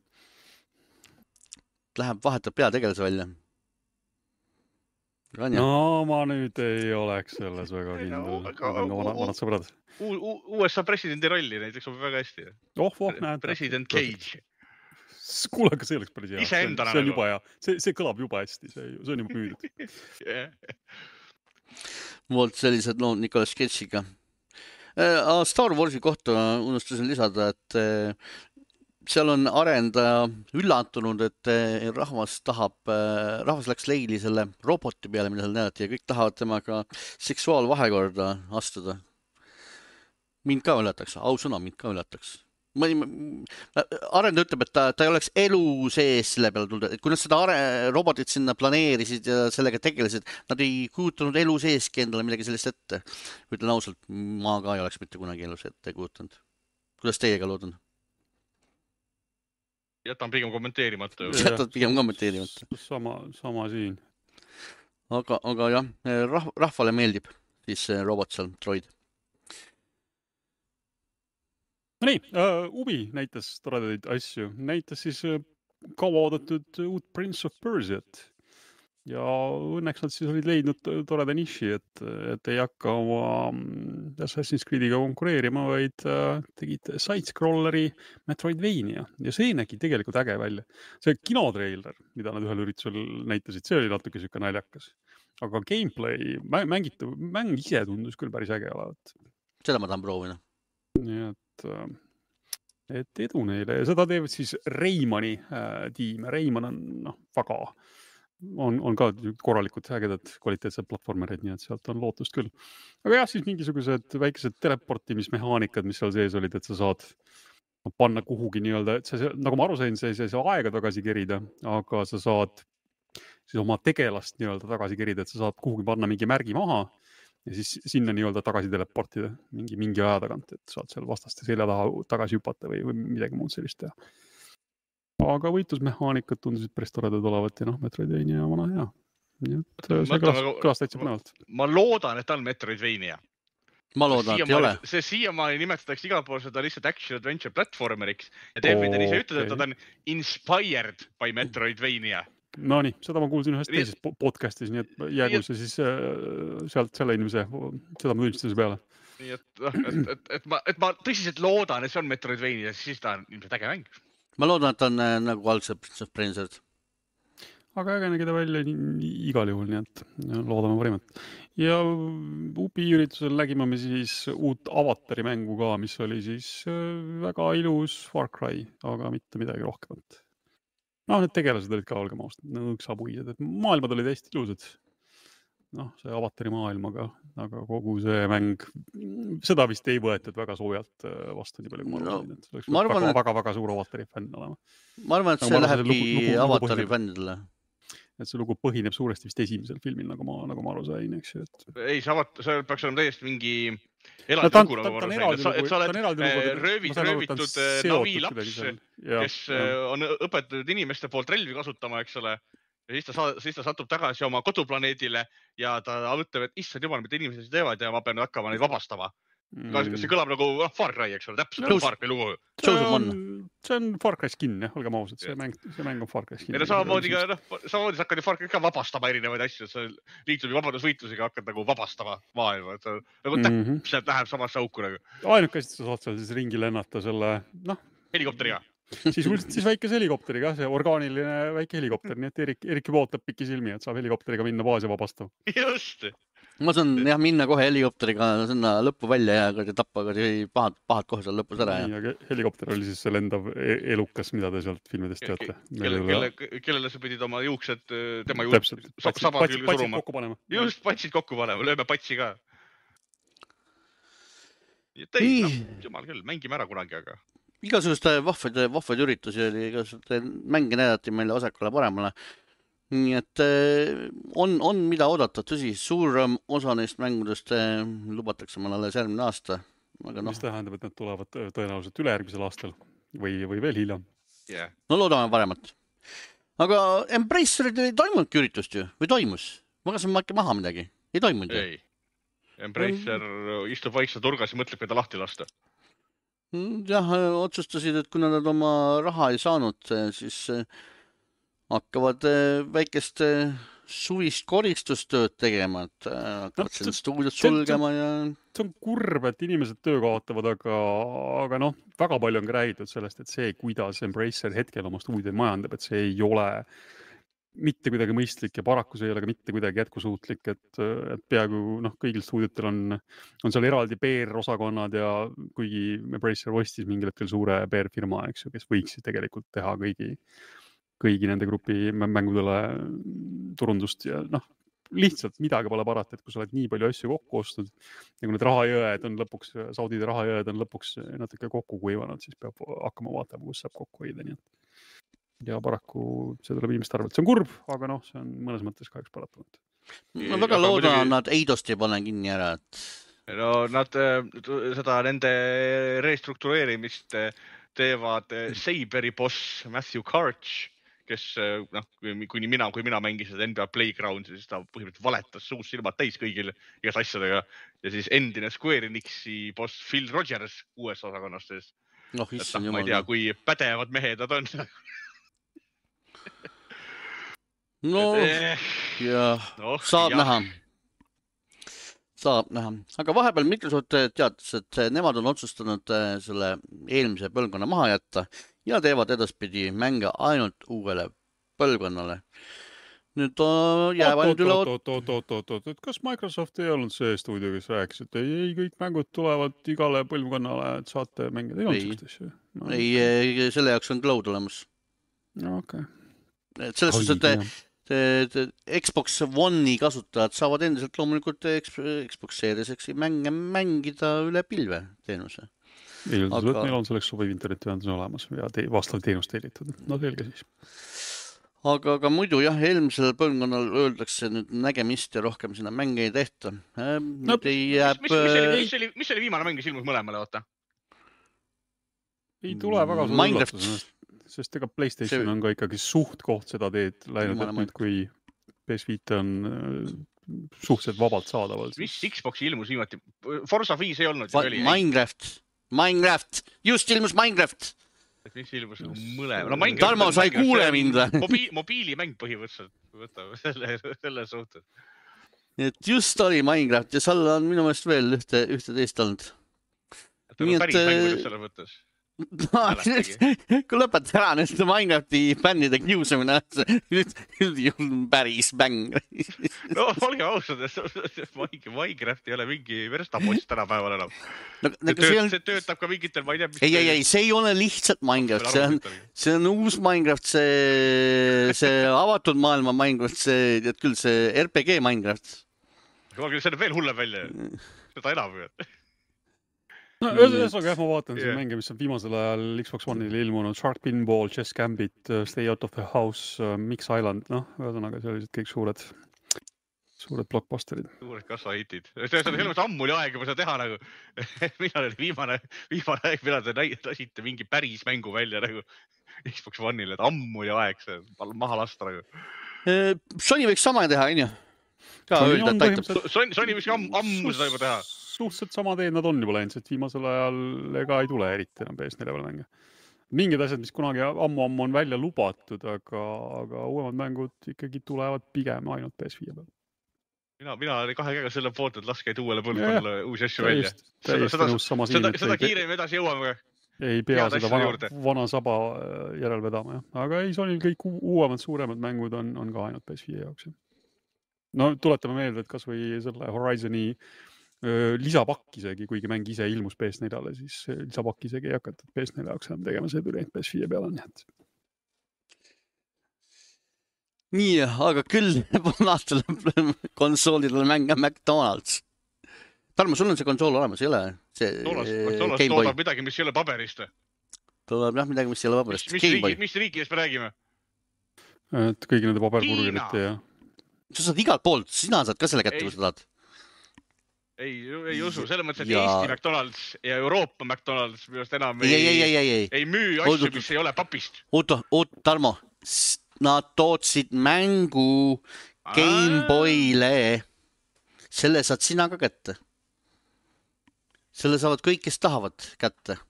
Speaker 1: Läheb vahetab peategelase välja.
Speaker 2: No ma nüüd ei oleks selles väga kindel. Vanad sõbrad.
Speaker 3: USA presidendi rolli näiteks on väga hästi.
Speaker 2: Näed.
Speaker 3: President Cage.
Speaker 2: Kuule, aga see oleks päris hea.
Speaker 3: See
Speaker 2: on juba hea. See kõlab juba hästi, see on juba müüdud.
Speaker 1: Vot sellised lood Nicolas Cage'iga. Star Warsi kohta unustasin lisada, et seal on arendaja üllatunud, et rahvas läks leili selle roboti peale, mida seal näidati ja kõik tahavad temaga seksuaalvahekorda astuda. Mind ka üllataks, ausõna, mind ka üllataks. Arendaja ütleb, et ta ei oleks elu sees selle peale tulnud, et kui nad seda robotit sinna planeerisid ja sellega tegelesid, nad ei kujutanud elu seeski endale midagi sellist ette. Ütlen ausalt, ma ka ei oleks mitte kunagi elus ette kujutanud. Kuidas teiega loodun?
Speaker 3: Jätan pigem kommenteerimata.
Speaker 1: Jätad pigem kommenteerimata.
Speaker 2: Sama siin.
Speaker 1: Aga jah, rahvale meeldib siis robot seal, droid.
Speaker 2: No nii, Ubi näitas toredaid asju. Näitas siis kauaoodatud uut Prince of Persiat. Ja õnneks nad siis olid leidnud toreda niši, et ei hakka oma Assassin's Creediga konkureerima, vaid tegid side-scrolleri Metroidvania. Ja see nägi tegelikult äge välja. See kinotreiler, mida nad ühel üritusel näitasid, see oli natuke siuke naljakas. Aga gameplay, mäng ise tundus küll päris äge olevat.
Speaker 1: Seda ma tahan proovida.
Speaker 2: Nii et edu neile. Ja seda teevad siis Reimani tiim. Reiman on väga... On ka korralikud ägedad kvaliteetsed platvormerid, nii et sealt on lootust küll. Aga jah, siis mingisugused väikesed teleportimismehaanikad, mis seal sees olid, et sa saad panna kuhugi nii-öelda, et see, nagu ma aru sain, see ei saa aega tagasi kerida, aga sa saad siis oma tegelast nii-öelda tagasi kerida, et sa saad kuhugi panna mingi märgi maha ja siis sinna nii-öelda tagasi teleportida mingi aja tagant, et saad seal vastaste selja taha tagasi hüpata või midagi muud sellist teha. Aga võitlusmehaanikad tundusid päris toredad olevat ja Metroidvania ja vana hea. Nii et see kõlas täitsa põnevalt.
Speaker 3: Ma loodan, et on Metroidvania.
Speaker 1: Ma loodan, et ei ole.
Speaker 3: See siiamaani nimetatakse igal pool seda lihtsalt action adventure platformeriks ja David on ise ütelnud, et ta on inspired by Metroidvania.
Speaker 2: No nii, seda ma kuulsin ühest teises podcastis, nii et jäägu see siis sealt selle inimese seda ma tunnistuse peale.
Speaker 3: Nii et ma tõsiselt loodan, et see on Metroidvania, siis ta on ilmselt äge mäng.
Speaker 1: Ma loodan, et on nagu algselt Prince of Persiat.
Speaker 2: Aga äge nägi ta välja igal juhul, nii et loodame parimat. Ja Ubi üritusel nägime me siis uut Avatari mängu ka, mis oli siis väga ilus Far Cry, aga mitte midagi rohkemat. Need tegelased olid ka olgem austad, nõksapuised, et maailmad olid hästi ilusad. See Avatari maailmaga, aga kogu see mäng, seda vist ei võetud väga soojalt vastu nii palju, kui ma arvan, et see oleks väga suur Avatari fänn olema.
Speaker 1: Ma arvan, et see lähebki Avatari fännidele.
Speaker 2: Et see lugu põhineb suuresti vist esimesel filmil, nagu ma aru sain, eks ju.
Speaker 3: Ei, see peaks olema täiesti mingi eraldi lugu, nagu ma aru sain. Et sa oled röövitud navilaps, kes on õpetatud inimeste poolt relvi kasutama, eks ole. Ja siis ta satub tagasi oma koduplaneedile ja ta mõtleb, et issand jumal, mida inimesed teevad ja ma pean hakkama neid vabastama. See kõlab nagu Far Cry, eks ole, täpselt nagu Far Cry lugu.
Speaker 2: See on Far Cry skin, jah, olgem ausad, see mäng on Far Cry skin.
Speaker 3: Ja samamoodi sa hakkad Far Cry ka vabastama erinevaid asju, sa liitud vabadusvõitlusega hakkad nagu vabastama maailma, nagu täpselt läheb samasse auku.
Speaker 2: Ainukest sa saad seal siis ringi lennata selle,
Speaker 3: helikopteriga.
Speaker 2: Siis väikese helikopteriga, see orgaaniline väike helikopter, nii et Erik juba ootab pikki silmi, et saab helikopteriga minna baasi vabastama.
Speaker 3: Just.
Speaker 1: Ma saan minna kohe helikopteriga sinna lõppu välja ja tappa pahad kohe seal lõpus ära.
Speaker 2: Helikopter oli siis see lendav elukas, mida te sealt filmidest teate.
Speaker 3: Kellele sa pidid oma juuksed tema juuksed saba külge suruma. Just, patsid kokku panema, lööme patsi ka. Jumal küll, mängime ära kunagi, aga...
Speaker 1: Igasuguste vahvaid üritusi oli, igasuguste mänge näidati meile vasakule paremale. Nii et on mida oodata, tõsi, suurem osa neist mängudest lubatakse meil alles järgmine aasta.
Speaker 2: Mis tähendab, et need tulevad tõenäoliselt ülejärgmisel aastal või veel hiljem?
Speaker 1: No loodame paremat. Aga Embracerid ei toimunudki üritust ju, või toimus? Ma kasan äkki maha midagi, ei toimunud ju?
Speaker 3: Ei, Embracer istub vaikse turgas ja mõtleb, keda lahti lasta.
Speaker 1: Jah, otsustasid, et kuna nad oma raha ei saanud, siis hakkavad väikest suvist koristustööd tegema, et hakkavad siin stuudiot sulgema ja...
Speaker 2: See on kurb, et inimesed töö kaotavad, aga väga palju on räägitud sellest, et see, kuidas Embracer hetkel oma stuudioid majandab, et see ei ole mitte kuidagi mõistlik ja paraku see ei ole ka mitte kuidagi jätkusuutlik, et peaaegu kõigil stuudiotel on seal eraldi PR-osakonnad ja kuigi Embracer ostis mingil hetkel suure PR-firma, eks ju, kes võiks tegelikult teha kõigi nende grupi mängudele turundust ja lihtsalt midagi pole parata, et kui sa oled nii palju asju kokku ostnud ja kui need rahajõed on lõpuks, Saudide rahajõed on lõpuks natuke kokku kuivanud, siis peab hakkama vaatama, kus saab kokku hoida, nii et ja paraku see tuleb inimeste arvelt. See on kurb, aga see on mõnes mõttes kahjuks paratamatu.
Speaker 1: Ma väga loodan, nad Eidost ei pane kinni ära, et...
Speaker 3: No nad seda nende restruktureerimist teevad Saberi boss Matthew Karch, kes, kui mina mängisin NBA Playground'i, siis ta põhimõtteliselt valetas suust silmad täis kõigil igas asjadega. Ja siis endine Square Enixi boss Phil Rogers uues osakonnast. Ma ei tea, kui pädevad mehed nad on.
Speaker 1: Saab näha. Saab näha. Aga vahepeal Microsoft teatas, et nemad on otsustanud selle eelmise põlvkonna maha jätta ja teevad edaspidi mänge ainult uuele põlvkonnale. Nüüd jääb ainult üle...
Speaker 2: Oot. Kas Microsoft ei olnud see stuudio, kes rääkis, et ei, kõik mängud tulevad igale põlvkonnale, et saate mängida? Ei olnud sellist asju?
Speaker 1: Ei, selle jaoks on cloud olemas.
Speaker 2: Okay.
Speaker 1: Selles suhtes, et Xbox One'i kasutajad saavad endiselt loomulikult Xbox Serieseksi mänge mängida üle pilve teenuse.
Speaker 2: Eeldus, et meil on selleks sobiv internetiühendus olemas ja vastav teenus tellitud. No selge siis.
Speaker 1: Aga muidu jah, eelmisel põlvkonnal öeldakse nüüd nägemist ja rohkem sinna mänge ei tehta.
Speaker 3: Mis oli viimane mäng, mis ilmus mõlemale, oota?
Speaker 2: Ei tule väga suur üllatus, sest ega PlayStation on ka ikkagi suht koht seda teed läinud, et nüüd kui PS5 on suhteliselt vabalt saadaval.
Speaker 3: Mis Xboxi ilmus viimati? Forza 5 ei olnud?
Speaker 1: Minecraft! Just ilmus Minecraft!
Speaker 3: Mis ilmus mõlema?
Speaker 1: Tarmo, sa ei kuule mind?
Speaker 3: Mobiilimäng põhimõtteliselt võtab selle suhtes.
Speaker 1: Et just oli Minecraft ja seal on minu meelest veel ühte teist olnud.
Speaker 3: Päris mängud selle mõttes?
Speaker 1: Kui lõpeta ära nüüd Minecrafti fännide kiusamine, nüüd päris mäng.
Speaker 3: No, olge ausad, Minecraft ei ole mingi verstapost tänapäeval enam. See töötab ka mingitel, ma ei tea...
Speaker 1: Ei, see ei ole lihtsalt Minecraft, see on uus Minecraft, see avatud maailma Minecraft, see RPG Minecraft.
Speaker 3: See on veel hullem välja, seda enam või?
Speaker 2: No, ühesõnaga jah, ma vaatan siin mänge, mis on viimasel ajal Xbox One'il ilmunud, Shark Pinball, Chess Gambit, Stay Out of the House, Mix Island, ühesõnaga sellised kõik suured blockbusterid.
Speaker 3: Suured kasvahitid. See on ammu oli aeg juba seda teha nagu. Millal oli viimane aeg, millal te lasite mingi päris mängu välja nagu Xbox One'il, et ammu oli aeg see maha lasta nagu.
Speaker 1: Sony võiks sama teha, on ju? Ka öelda, et aitab.
Speaker 3: Sony võiks ammu seda juba teha.
Speaker 2: Suhteliselt sama teed nad on juba läinud, et viimasel ajal ega ei tule eriti enam PS4 peale mänge. Mingid asjad, mis kunagi ammu on välja lubatud, aga uuemad mängud ikkagi tulevad pigem ainult PS5 peal.
Speaker 3: Mina oli kahe käega selle poolt, et laske uuele põlvkonnale uusi asju välja. Seda kiirem edasi jõuame.
Speaker 2: Ei pea seda vana saba järel vedama, jah. Aga ei, Sonyl kõik uuemad, suuremad mängud on ka ainult PS5 jaoks. No tuletame meelde, et kas või selle Horizoni lisapakk isegi, kuigi mäng ise ilmus PS4-le, siis lisapakk isegi ei hakatud PS4 jaoks enam tegema, see tuli PS5 peale.
Speaker 1: Nii, aga küll vanastel konsoolidel mänge McDonald's. Tarmo, sul on see konsool olemas, ei ole?
Speaker 3: Konsoolast toodab midagi, mis ei ole paberist.
Speaker 1: Toodab jah midagi, mis ei ole paberist.
Speaker 3: Mis riigist me räägime?
Speaker 2: Et kõigi nende paberburgerite ja...
Speaker 1: Sa saad igalt poolt, sina saad ka selle kätte, kui sa tahad.
Speaker 3: Ei usu, selle mõttes, et Eesti McDonald's ja Euroopa McDonald's minust enam ei müü asju, mis ei ole papist.
Speaker 1: Oot, Tarmo, nad tootsid mängu Game Boyle. Selle saad sina ka kätte. Selle saavad kõik, kes tahavad kätte,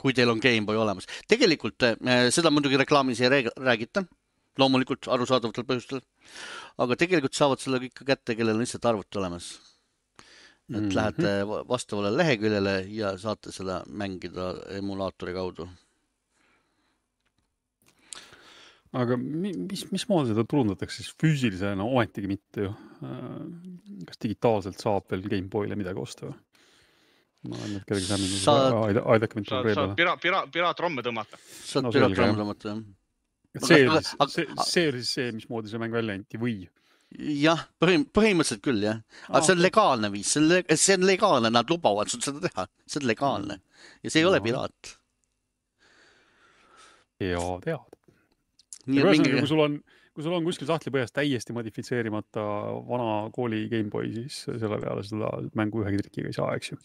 Speaker 1: kui teil on Game Boy olemas. Tegelikult seda muidugi reklaamis ei räägita, loomulikult arusaadavatel põhjustel, aga tegelikult saavad selle kõik kätte, kellel on lihtsalt arvuti olemas. Et lähete vastavale leheküljele ja saate seda mängida emulaatori kaudu.
Speaker 2: Aga mismoodi seda turundatakse siis füüsilisena, ometigi mitte ju. Kas digitaalselt saab veel Gameboyle midagi osta või? Ma olen nüüd kellegi sämminud, aidake mind
Speaker 3: saad piraatromme tõmmata.
Speaker 1: Saad piraatromme tõmmata, jah.
Speaker 2: See oli siis see, mismoodi see mäng välja anti või?
Speaker 1: Jah, põhimõtteliselt küll, jah. Aga see on legaalne viis, see on legaalne, nad lubavad sul seda teha. See on legaalne. Ja see ei ole piraat.
Speaker 2: Ja tead. Kui sul on kuskil sahtlipõhjas täiesti modifitseerimata vana kooli Gameboy, siis selle peale seda mängu ühegi trikiga ei saa, eks ju?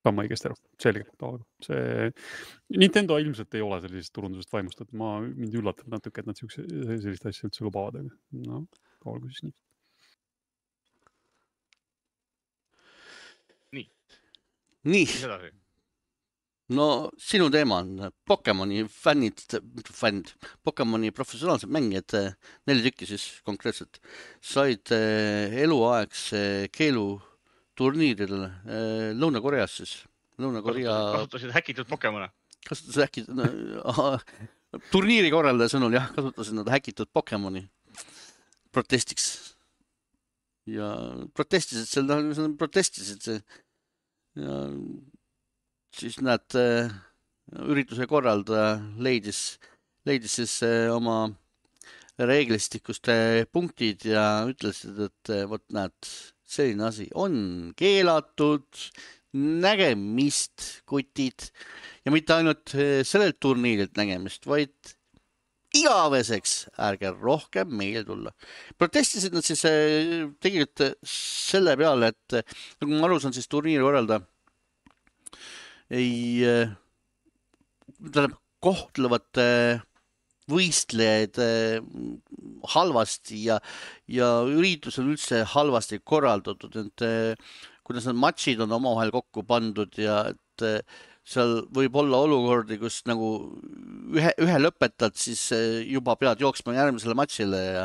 Speaker 2: Saan ma õigesti aru. Selge. Nintendo ilmselt ei ole sellisest turundusest vaimustatud. Mind üllatab natuke, et nad sellist asja üldse lubavad. No, olgu siis
Speaker 3: nii.
Speaker 1: Nii. No sinu teema on Pokemoni Pokemoni professionaalsed mängijad, 4 tükki siis konkreetselt, said eluaegse keelu turniiril Lõuna-Koreas siis.
Speaker 3: Kasutasid häkitud Pokemone.
Speaker 1: Kasutasid häkitud, turniiri korraldaja sõnul jah, kasutasid nad häkitud Pokemoni protestiks. Ja protestisid ja siis nad ürituse korraldaja leidis siis oma reeglistikust punktid ja ütlesid, et vot näed, selline asi on keelatud, nägemist, kutid, ja mitte ainult sellelt turniirilt nägemist, vaid igaveseks ärge rohkem meile tulla. Protestisid nad siis tegelikult selle peale, et nagu ma aru saan, siis turniiri korralda kohtlevad võistlejaid halvasti ja üritus on üldse halvasti korraldatud, et kuidas need matšid on omavahel kokku pandud ja et seal võib olla olukordi, kus nagu ühe lõpetad, siis juba pead jooksma järgmisele matšile ja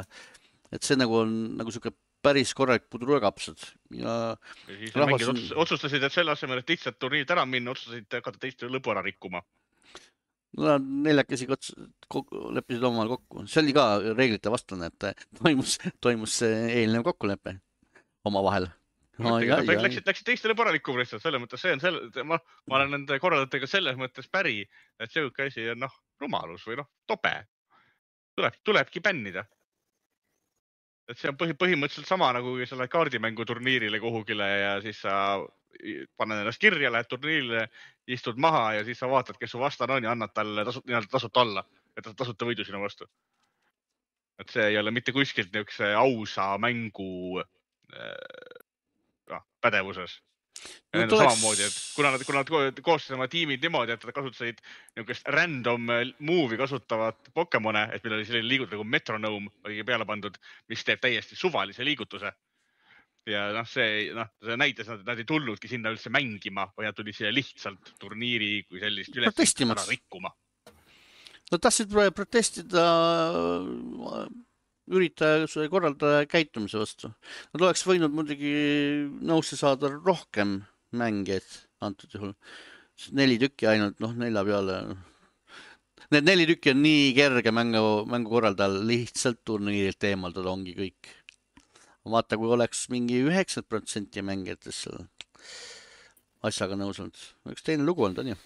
Speaker 1: et see nagu on nagu siuke päris korralik pudrukapsad. Ja
Speaker 3: siis mängid otsustasid, et selle asemel, et lihtsalt turniirid ära minna, otsustasid hakata teiste lõpu ära rikkuma.
Speaker 1: No, neljakesi leppisid omavahel kokku. See oli ka reeglite vastane, et toimus eelnev kokkulepe omavahel.
Speaker 3: Läksid teistele paralikkuma lihtsalt, selle mõttes ma olen nende korraldajatega selles mõttes päri, et see asi on rumalus või tobe. Tulebki bännida. Et see on põhimõtteliselt sama nagu selle kaardimängu turniirile kuhugile ja siis sa paned ennast kirja, lähed turniirile, istud maha ja siis sa vaatad, kes su vastan on ja annad talle tasuta alla, et ta tasuta võidu sinu vastu. Et see ei ole mitte kuskilt niisuguse ausa mängu pädevuses. Ja nende samamoodi, et kuna nad koostasid oma tiimid niimoodi, et nad kasutasid niisugust random move'i kasutavat Pokemone, et meil oli selline liigutus nagu Metronome oli peale pandud, mis teeb täiesti suvalise liigutuse. Ja see näitas, et nad ei tulnudki sinna üldse mängima, või nad tuli siia lihtsalt turniiri kui sellist üles ära rikkuma.
Speaker 1: Nad tahtsid protestida üritaja korraldaja käitumise vastu. Nad oleks võinud muidugi nõusse saada rohkem mängijaid antud juhul. 4 tükki ainult, 4 peale. Need 4 tükki on nii kerge mängu korraldajal lihtsalt turniirilt eemaldada ongi kõik. Vaata, kui oleks mingi 90% mängijatest selle asjaga nõus olnud. Üks teine lugu olnud, on ju?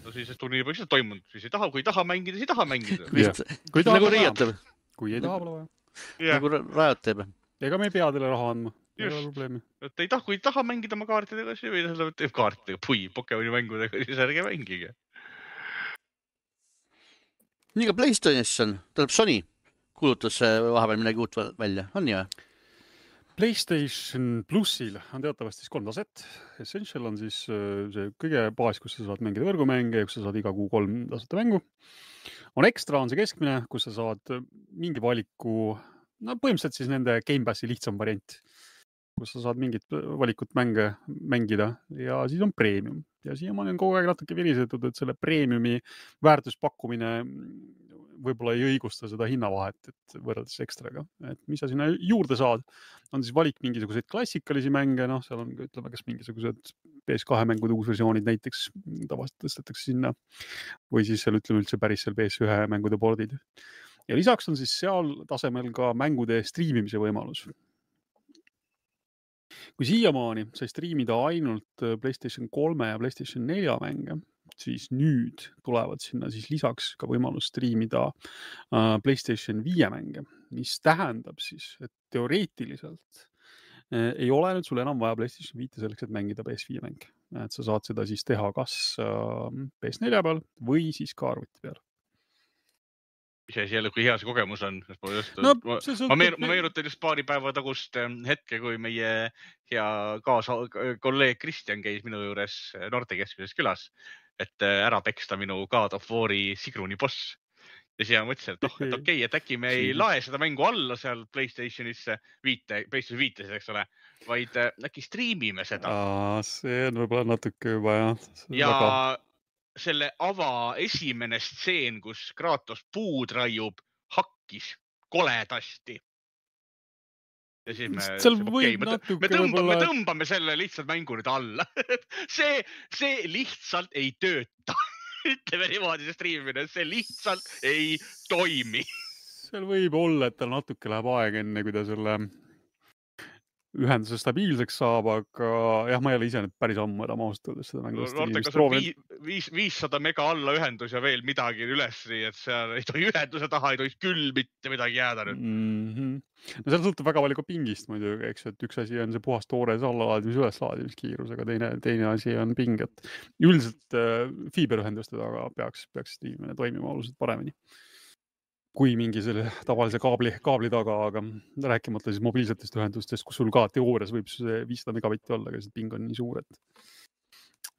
Speaker 3: No siis turniiri peaks toimunud. Siis ei taha, kui ei taha mängida, siis ei taha mängida.
Speaker 1: Nagu Riiat teeb.
Speaker 2: Kui ei taha, pole vaja.
Speaker 1: Nagu Riiat teeb.
Speaker 2: Ega me ei pea teile raha andma.
Speaker 3: Just. Et ei taha, kui ei taha mängida oma kaartidega, siis või teeb kaartidega, Pokemoni mängudega, siis ärge mängige.
Speaker 1: Nii ka PlayStation, tähendab Sony kuulutas vahepeal midagi uut välja, on ju?
Speaker 2: PlayStation Plussil on teatavasti 3 taset. Essential on siis see kõige baas, kus sa saad mängida võrgumänge, kus sa saad iga kuu 3 tasuta mängu. On Extra on see keskmine, kus sa saad mingi valiku, põhimõtteliselt siis nende Game Passi lihtsam variant, kus sa saad mingit valikut mänge mängida ja siis on Premium. Ja siiamaani on kogu aeg natuke virisetud, et selle Premiumi väärtuspakkumine võib-olla ei õigusta seda hinnavahet, et võrreldes Extraga. Et mis sa sinna juurde saad, on siis valik mingisuguseid klassikalisi mänge, seal on, ütleme, kas mingisugused PS2 mängude uusversioonid näiteks tavaliselt tõstetakse sinna või siis seal ütleme üldse päris seal PS1 mängude pordid. Ja lisaks on siis seal tasemel ka mängude striimimise võimalus. Kui siiamaani sai striimida ainult PlayStation 3 ja PlayStation 4 mänge, siis nüüd tulevad sinna siis lisaks ka võimalus striimida PlayStation 5 mänge, mis tähendab siis, et teoreetiliselt ei ole nüüd sul enam vaja PlayStation 5 selleks, et mängida PS5 mänge. Et sa saad seda siis teha kas PS4 peal või siis ka arvuti peal.
Speaker 3: Mis asi jälle, kui hea see kogemus on?
Speaker 2: No,
Speaker 3: ma meenutan just paari päeva tagust hetke, kui meie hea kolleeg Kristjan käis minu juures Noortekeskuses külas, et ära peksta minu God of War'i Sigruni boss. Ja siis ma mõtlesin, et okei, et äkki me ei lae seda mängu alla seal PlayStationisse, PlayStation 5, eks ole, vaid äkki striimime seda.
Speaker 2: See on võib-olla natuke juba, jah.
Speaker 3: Ja selle esimene stseen, kus Kratos puud raiub, hakkis koledasti. Ja siis me tõmbame selle lihtsalt mängu nüüd alla. See lihtsalt ei tööta. Ütleme niimoodi see striimimine, see lihtsalt ei toimi.
Speaker 2: Seal võib olla, et tal natuke läheb aeg enne, kui ta selle ühenduse stabiilseks saab, aga jah, ma ei ole ise nüüd päris ammu enam ausalt seda mängu
Speaker 3: striimimist proovinud. 500 mega alla ühendus ja veel midagi üles, et seal ei tohi ühenduse taha, ei tohi küll mitte midagi jääda nüüd.
Speaker 2: No seal sõltub väga palju ka pingist muidugi, eks, et üks asi on see puhas toores allalaadimis üleslaadimiskiirus, aga teine asi on ping, et üldiselt fiiberühenduste taga peaks striimimine toimima oluliselt paremini kui mingi selle tavalise kaabli taga, aga rääkimata siis mobiilsetest ühendustest, kus sul ka teoorias võib see 500 megabitti olla, aga see ping on nii suur,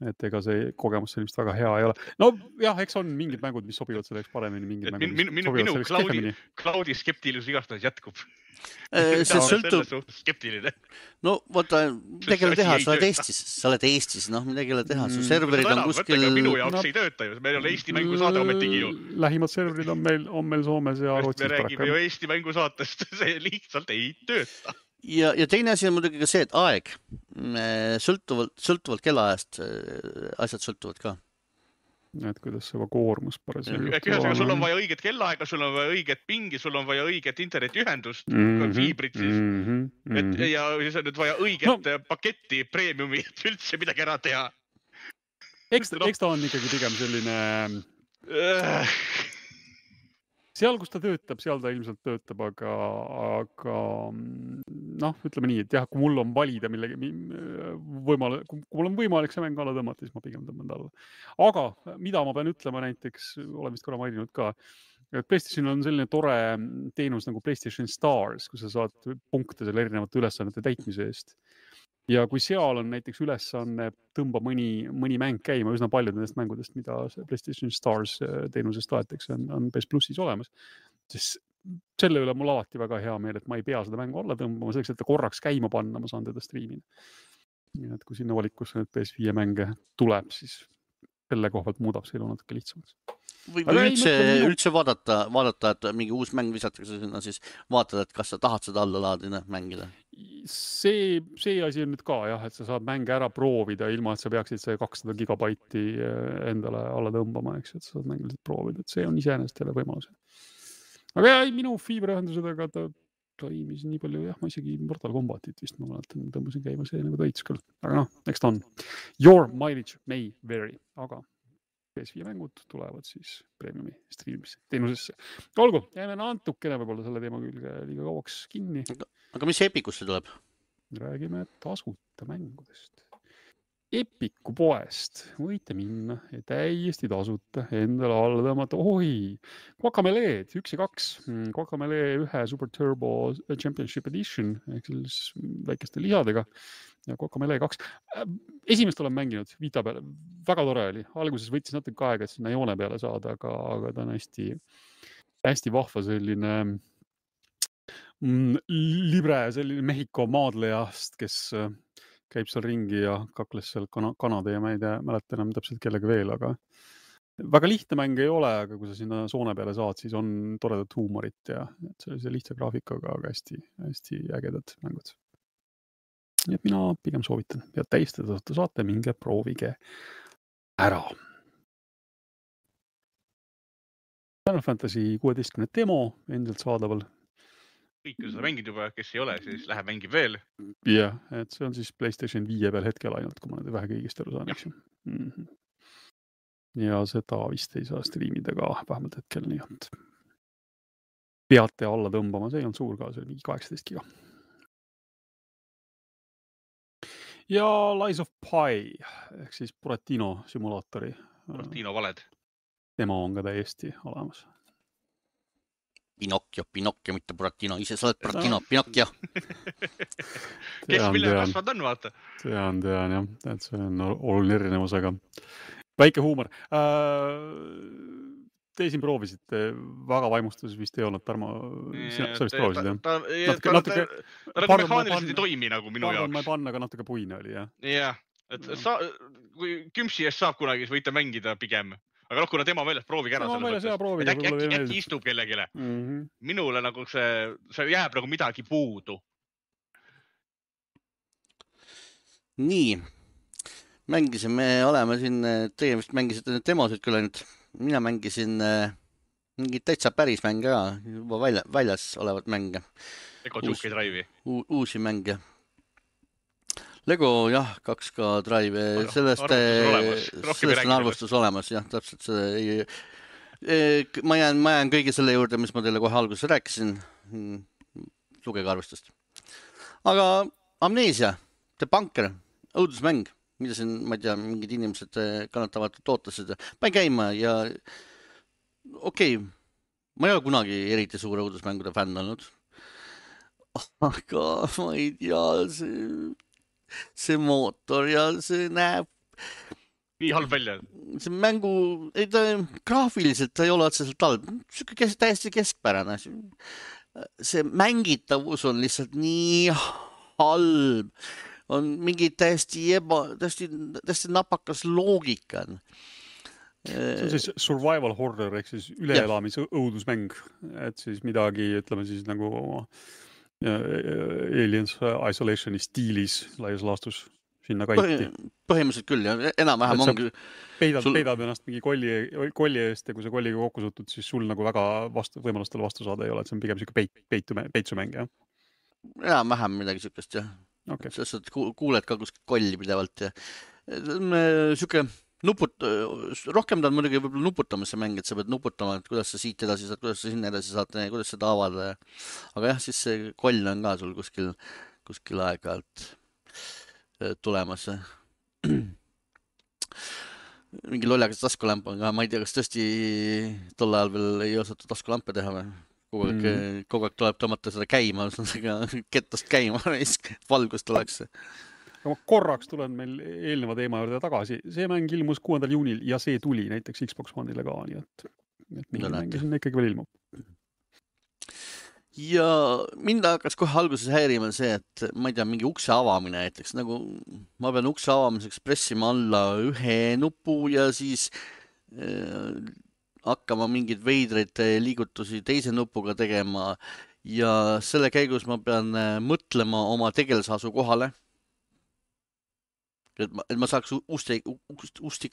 Speaker 2: et ega see kogemus sellist väga hea ei ole. No jah, eks on mingid mängud, mis sobivad selleks paremini, mingid mängud, mis sobivad selleks kehvemini.
Speaker 3: Cloudi skeptilus igastahes jätkub.
Speaker 1: See sõltub.
Speaker 3: Skeptiline.
Speaker 1: No vaata, midagi ole teha, sa oled Eestis, noh, midagi ole teha, su serverid on kuskil...
Speaker 3: Minu jaoks ei tööta ju, meil on Eesti mängusaade ometigi ju.
Speaker 2: Lähimad serverid on meil Soomes ja Rootsis.
Speaker 3: Me räägime ju Eesti mängusaatest, see lihtsalt ei tööta.
Speaker 1: Ja teine asi on muidugi ka see, et aeg. Sõltuvalt kellaajast asjad sõltuvad ka.
Speaker 2: Et kuidas see koormus parasjagu
Speaker 3: juhtub. Sul on vaja õiget kellaaega, sul on vaja õiget pingi, sul on vaja õiget internetiühendust, fiibrit siis. Ja siis on nüüd vaja õiget paketti, premiumi, et üldse midagi ära teha.
Speaker 2: Eks ta on ikkagi pigem selline... Seal, kus ta töötab, seal ta ilmselt töötab, aga noh, ütleme nii, et jah, kui mul on valida millegi kui mul on võimalik see mäng alla tõmmata, siis ma pigem tõmban ta alla. Aga mida ma pean ütlema näiteks, olen vist korra maininud ka, et PlayStation on selline tore teenus nagu PlayStation Stars, kus sa saad punkte selle erinevate ülesannete täitmise eest. Ja kui seal on näiteks ülesanne tõmba mõni mäng käima, üsna paljud nendest mängudest, mida PlayStation Stars teenusest aetakse, on PS Plussis olemas, siis selle üle mul alati väga hea meel, et ma ei pea seda mängu alla tõmbama, selleks, et ta korraks käima panna, ma saan teda striimida. Et kui sinna valikusse nüüd PS5 mänge tuleb, siis selle koha pealt muudab see elu natuke lihtsamaks.
Speaker 1: Või üldse vaadata, et mingi uus mäng visatakse sinna, siis vaatad, et kas sa tahad seda alla laadina mängida.
Speaker 2: See asi on nüüd ka jah, et sa saad mänge ära proovida ilma, et sa peaksid see 200 gigabaiti endale alla tõmbama, eks, et sa saad mänge lihtsalt proovida, et see on iseenesest jälle võimalus. Aga jah, minu fiiberühendusega ta toimis nii palju, jah, ma isegi Mortal Kombatit vist ma mäletan, tõmbasin käima see nagu toits küll, aga noh, eks ta on. Your mileage may vary, aga PS5 mängud tulevad siis premiumi striimimise teenusesse. Olgu, jääme natukene võib-olla selle teema külge liiga kauaks kinni.
Speaker 1: Aga mis Epikusse tuleb?
Speaker 2: Räägime tasuta mängudest. Epiku poest võite minna ja täiesti tasuta endale alla tõmmata. Guacamelee 1 ja 2. Guacamelee 1 Super Turbo Championship Edition ehk selles väikeste lisadega. Ja Guacamelee 2. Esimest olen mänginud Vita peale. Väga tore oli. Alguses võttis natuke aega, et sinna joone peale saada, aga ta on hästi vahva selline libre, selline Mehhiko maadlejast, kes käib seal ringi ja kakles seal Kanada ja ma ei mäleta enam täpselt kellega veel, aga väga lihtne mäng ei ole, aga kui sa sinna soone peale saad, siis on toredat huumorit ja sellise lihtsa graafikaga, aga hästi ägedad mängud. Nii et mina pigem soovitan ja täiesti tasuta saate, minge proovige ära. Final Fantasy 16 demo endiselt saadaval.
Speaker 3: Kõik, kui seda mängid juba, kes ei ole, siis läheb mängib veel.
Speaker 2: Jah, et see on siis PlayStation 5 peal hetkel ainult, kui ma nüüd vähe kõigist aru saan, eks ju. Ja seda vist ei saa striimida ka vähemalt hetkel, nii et peate alla tõmbama, see ei olnud suur ka, see oli mingi 18 giga. Ja Lies of Pi, ehk siis Buratino simulaatori.
Speaker 3: Buratino valed.
Speaker 2: Demo on ka täiesti olemas.
Speaker 1: Pinocchio, mitte Buratino, ise sa oled Buratino, Pinocchio.
Speaker 3: Kes mille kasvad on, vaata.
Speaker 2: Tean jah, et see on oluline erinevus, aga väike huumor. Te siin proovisite, väga vaimustus vist ei olnud, Tarmo, sa vist proovisid, jah?
Speaker 3: Ta mehaaniliselt ei toimi nagu minu jaoks.
Speaker 2: Ma ei panna, aga natuke puine oli, jah?
Speaker 3: Jah, et kui Kümsi eest saab kunagi, siis võite mängida pigem. Aga kuna tema väljas, proovige ära selles mõttes. Äkki istub kellegile. Minule nagu see jääb nagu midagi puudu.
Speaker 1: Nii, me oleme siin, teie vist mängisite need demosid küll ainult. Mina mängisin mingid täitsa päris mänge ka, juba väljas olevat mänge.
Speaker 3: Lego Juke Drive'i.
Speaker 1: Uusi mänge. Lego, jah, 2K Drive, sellest on arvustus olemas, jah, täpselt see. Ma jään kõige selle juurde, mis ma teile kohe alguses rääkisin. Lugege arvustust. Aga Amnesia, The Bunker, õudusmäng, mida siin, ma ei tea, mingid inimesed kannatavad ootasid. Pain käima ja okei, ma ei ole kunagi eriti suure õudusmängude fänn olnud. Aga ma ei tea, see mootor ja see näeb
Speaker 3: nii halb välja.
Speaker 1: See mängu, graafiliselt ta ei ole otseselt halb. Täiesti keskpärane. See mängitavus on lihtsalt nii halb. On mingi täiesti napakas loogika.
Speaker 2: See on siis survival horror, ehk siis üleelamise õudusmäng. Et siis midagi, ütleme siis nagu Aliens Isolationi stiilis laias laastus sinna kanti.
Speaker 1: Põhimõtteliselt küll, ja enam-vähem ongi.
Speaker 2: Peidad ennast mingi kolli eest ja kui sa kolliga kokku sutud, siis sul nagu väga võimalustele vastu saada ei ole, et see on pigem siuke peitsumäng, jah?
Speaker 1: Enam-vähem midagi siukest, jah.
Speaker 2: Okay.
Speaker 1: Sest et kuuled ka kuskil kolli pidevalt ja siuke rohkem ta on muidugi võib-olla nuputamise mäng, et sa pead nuputama, et kuidas sa siit edasi saad, kuidas sa sinna edasi saad, kuidas seda avada. Aga jah, siis see koll on ka sul kuskil aeg-ajalt tulemas. Mingi lollakas taskulamp on ka, ma ei tea, kas tõesti tol ajal veel ei osatud taskulampe teha või? Kogu aeg tuleb tõmmata seda käima, kettast käima, valgust tuleks.
Speaker 2: Ma korraks tulen meil eelneva teema juurde tagasi. See mäng ilmus 6. juunil ja see tuli näiteks Xbox One'ile ka, nii et mingi mäng sinna ikkagi veel ilmub.
Speaker 1: Ja mind hakkas kohe alguses häirima see, et ma ei tea, mingi ukse avamine näiteks, nagu ma pean ukse avamiseks pressima alla ühe nupu ja siis hakkama mingid veidreid liigutusi teise nupuga tegema ja selle käigus ma pean mõtlema oma tegelesasu kohale. Et ma saaks usti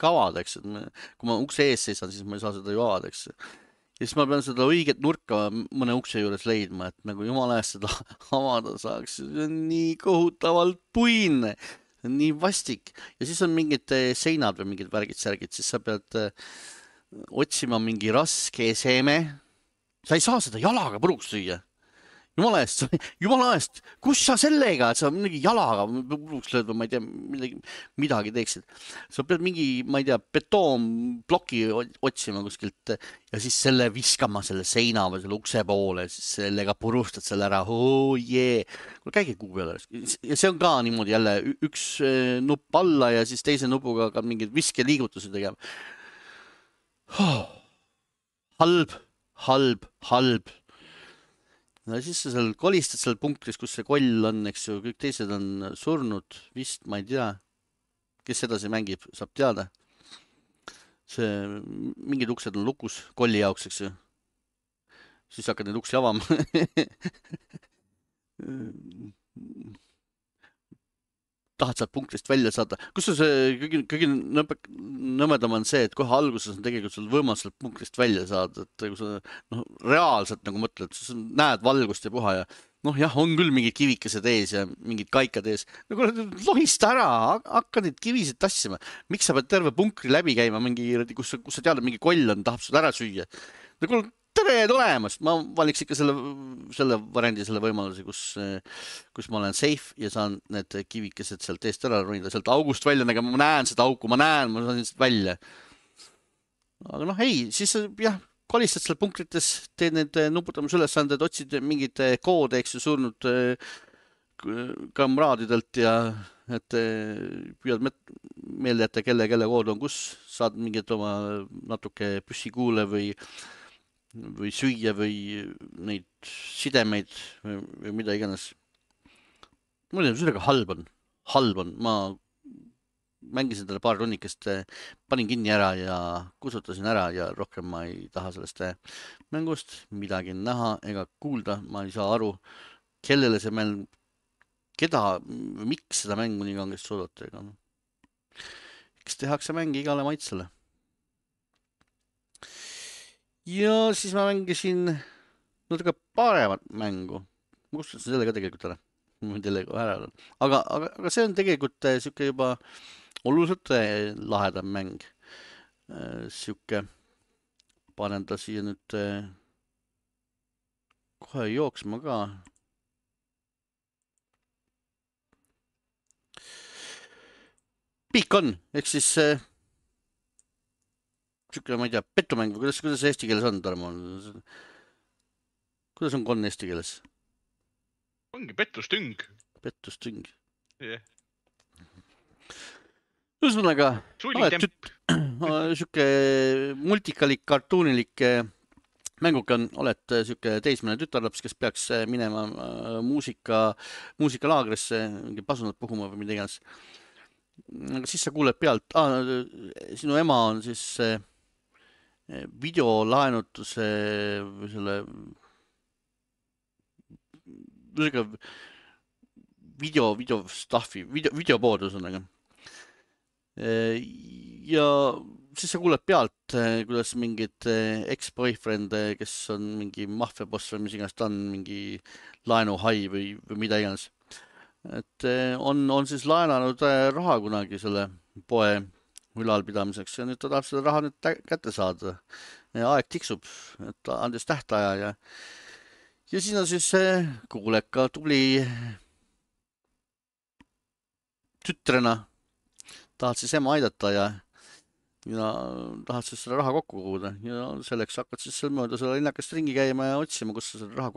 Speaker 1: avada, eks. Kui ma ukse ees seisan, siis ma ei saa seda ju avada, eks. Ja siis ma pean seda õiget nurka mõne ukse juures leidma, et nagu jumala eest seda avada saaks. See on nii kohutavalt puine, nii vastik. Ja siis on mingid seinad või mingid värgid-särgid, siis sa pead otsima mingi raske eseme. Sa ei saa seda jalaga puruks süüa. Jumala eest, kus sa sellega, et sa mingi jalaga puruks lööd või ma ei tea, midagi teeksid. Sa pead mingi, ma ei tea, betoonploki otsima kuskilt ja siis selle viskama selle seina või selle ukse poole, siis sellega purustad selle ära. Oh jee. Käige kuu peale. Ja see on ka niimoodi jälle üks nupp alla ja siis teise nupuga ka mingid viskeliigutusi tegema. Halb. No siis sa seal kolistad seal punktis, kus see koll on, eks ju, kõik teised on surnud, vist, ma ei tea. Kes edasi mängib, saab teada. Mingid uksed on lukus kolli jaoks, eks ju. Siis hakkad neid uksi avama. tahad sealt punktist välja saada. Kus see kõige nõmedam on see, et kohe alguses on tegelikult sul võimalus sealt punktist välja saada, et kui sa reaalselt nagu mõtled, sa näed valgust ja puha ja jah, on küll mingid kivikesed ees ja mingid kaikad ees. Lohista ära, hakka neid kivisid tassima. Miks sa pead terve punkri läbi käima mingi, kus sa tead, mingi koll on, tahab seda ära süüa. Tere tulemast! Ma valiks ikka selle variandi, selle võimaluse, kus ma olen safe ja saan need kivikesed sealt eest ära ronida, sealt august välja nägema. Ma näen seda auku, ma saan sealt välja. Aga ei, siis jah, kolistad seal punkrites, teed need nuputamisülesanded, otsid mingid koode, eks ju, surnud kamraadidelt ja et püüad meelde jätta, kelle kood on kus, saad mingid oma natuke püssikuule või süüa või neid sidemeid või mida iganes. Ma ei tea, sellega halb on. Ma mängisin talle paar runnikest, panin kinni ära ja kusutasin ära ja rohkem ma ei taha sellest mängust midagi näha ega kuulda. Ma ei saa aru, kellele see mäng, miks seda mängu nii kangesti soodati. Eks tehakse mängi igale maitsele. Ja siis ma mängisin natuke paremat mängu. Ma kustutasin selle ka tegelikult ära. Aga see on tegelikult siuke juba oluliselt lahedam mäng. Siuke panen ta siia nüüd kohe jooksma ka. Pikk on, ehk siis siuke, ma ei tea, pettumäng või kuidas eesti keeles on, Tarmo? Kuidas on konn eesti keeles?
Speaker 3: Ongi pettustüng.
Speaker 1: Pettustüng.
Speaker 3: Yeah.
Speaker 1: Ühesõnaga, siuke multikalik, kartuunilik mänguke on, oled siuke teismeline tütarlaps, kes peaks minema muusikalaagrisse, mingi pasunat puhuma või mida iganes. Aga siis sa kuuled pealt, sinu ema on siis videolaenutuse või selle videopood ühesõnaga. Ja siis sa kuuled pealt, kuidas mingid ex-boyfriend, kes on mingi maffiaboss või mis iganes ta on, mingi laenuhai või mida iganes. Et on siis laenanud raha kunagi selle poe ülalpidamiseks ja nüüd ta tahab seda raha nüüd kätte saada. Aeg tiksub, et andis tähtaja ja siin on siis kuuleka tubli tütrena. Tahad siis ema aidata ja tahad siis selle raha kokku koguda ja selleks hakkad siis seal mööda selle linnakast ringi käima ja otsima, kus sa selle raha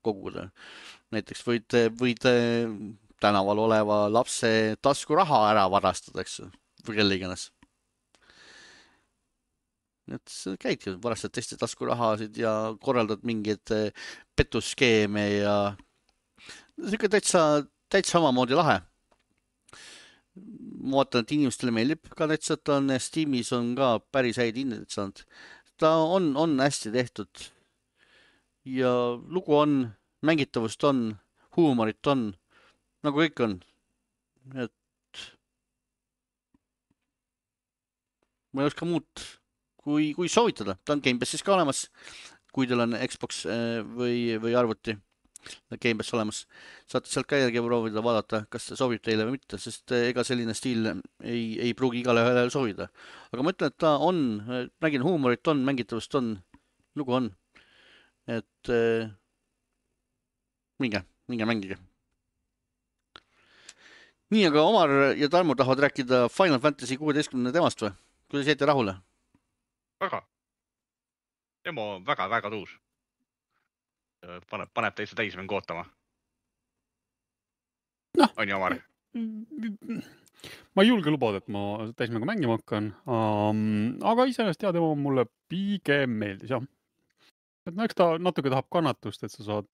Speaker 1: koguda. Näiteks võid tänaval oleva lapse taskuraha ära varastada, eks või kelle iganes. Et käidki, varastad teiste taskurahasid ja korraldad mingeid petusskeeme ja siuke täitsa omamoodi lahe. Ma vaatan, et inimestele meeldib ka täitsa, et on Steamis on ka päris häid hindeid saanud. Ta on hästi tehtud ja lugu on, mängitavust on, huumorit on, nagu kõik on. Et ma ei oska muud kui soovitada. Ta on Game Passis ka olemas, kui teil on Xbox või arvuti Game Pass olemas. Saate sealt ka järgi proovida, vaadata, kas see sobib teile või mitte, sest ega selline stiil ei pruugi igale ühele soovida. Aga ma ütlen, et ta on, nägin huumorit on, mängitavust on, lugu on. Et minge mängige. Nii, aga Omar ja Tarmo tahavad rääkida Final Fantasy 16 temast või? Kuidas jäite rahule?
Speaker 3: Väga. Demo on väga tuus. Paneb täitsa täismängu ootama. On ju, Omar?
Speaker 2: Ma ei julge lubada, et ma täismängu mängima hakkan. Aga iseenesest demo mulle pigem meeldis, jah. Et eks ta natuke tahab kannatust, et sa saad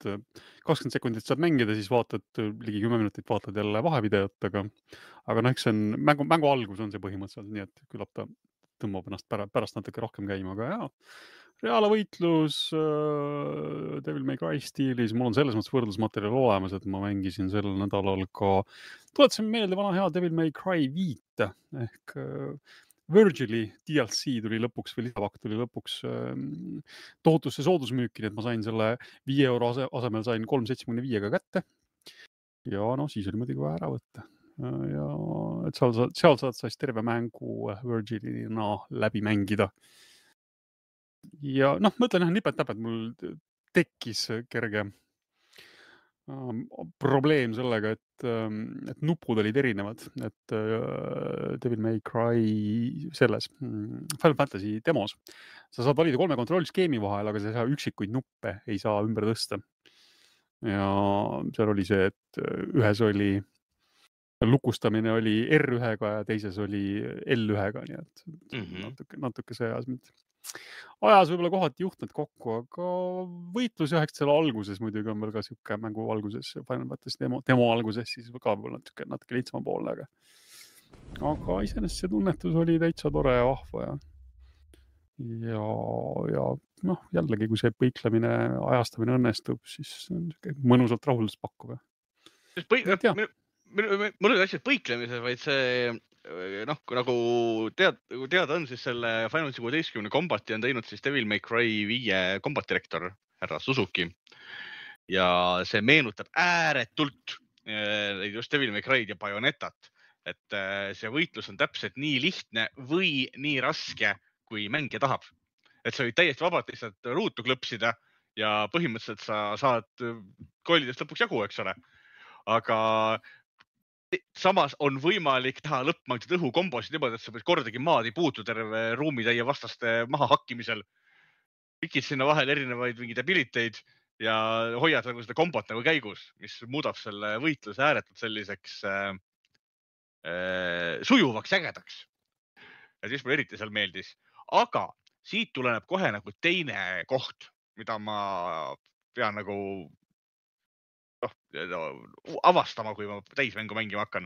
Speaker 2: 20 sekundit saad mängida, siis vaatad ligi 10 minutit vaatad jälle vahevideot, aga eks see on mängu algus on see põhimõtteliselt, nii et küllap ta tõmbab ennast pärast natuke rohkem käima, aga jah, reaalvõitlus Devil May Cry stiilis, mul on selles mõttes võrdlusmaterjal olemas, et ma mängisin sellel nädalal ka, tuletasin meelde vana hea Devil May Cry 5 ehk Virgili DLC tuli lõpuks või lisapakk tuli lõpuks tohutusse soodusmüüki, nii et ma sain selle 5 euro asemel sain 3,75 kätte. Ja siis oli muidugi vaja ära võtta. Ja et seal saad siis terve mängu Virgilina läbi mängida. Ja mõtlen, nipet-täpet mul tekkis kerge probleem sellega, et nupud olid erinevad, et Devil May Cry selles Final Fantasy demos. Sa saad valida 3 kontrollskeemi vahel, aga sa ei saa üksikuid nuppe ei saa ümber tõsta. Ja seal oli see, et ühes oli lukustamine oli R1-ga ja teises oli L1-ga, nii et natuke see ajas võib-olla kohati juhtmed kokku, aga võitlus jah, selle alguses muidugi on veel ka siuke mängu alguses, Final Fantasy demo alguses siis ka võib-olla natuke lihtsama poolne, aga iseenesest see tunnetus oli täitsa tore ja vahva ja jällegi, kui see põiklemine, ajastamine õnnestub, siis on mõnusalt rahuldust pakkuv.
Speaker 3: Mul oli asjad põiklemise, vaid see nagu teada on, siis selle Final 16 kombati on teinud siis Devil May Cry 5 kombatirektor härra Suzuki ja see meenutab ääretult just Devil May Cry'd ja Bayonetat, et see võitlus on täpselt nii lihtne või nii raske, kui mängija tahab. Et sa võid täiesti vabalt lihtsalt ruutu klõpsida ja põhimõtteliselt sa saad kollidest lõpuks jagu, eks ole. Aga samas on võimalik teha lõppmangtud õhukombosid niimoodi, et sa võid kordagi maad ei puutu terve ruumitäie vastaste maha hakkimisel. Pikid sinna vahel erinevaid mingid abiliteid ja hoiad nagu seda kombot nagu käigus, mis muudab selle võitluse ääretult selliseks sujuvaks ägedaks. Ja siis mulle eriti seal meeldis. Aga siit tuleneb kohe nagu teine koht, mida ma pean nagu avastama, kui ma täismängu mängima hakkan.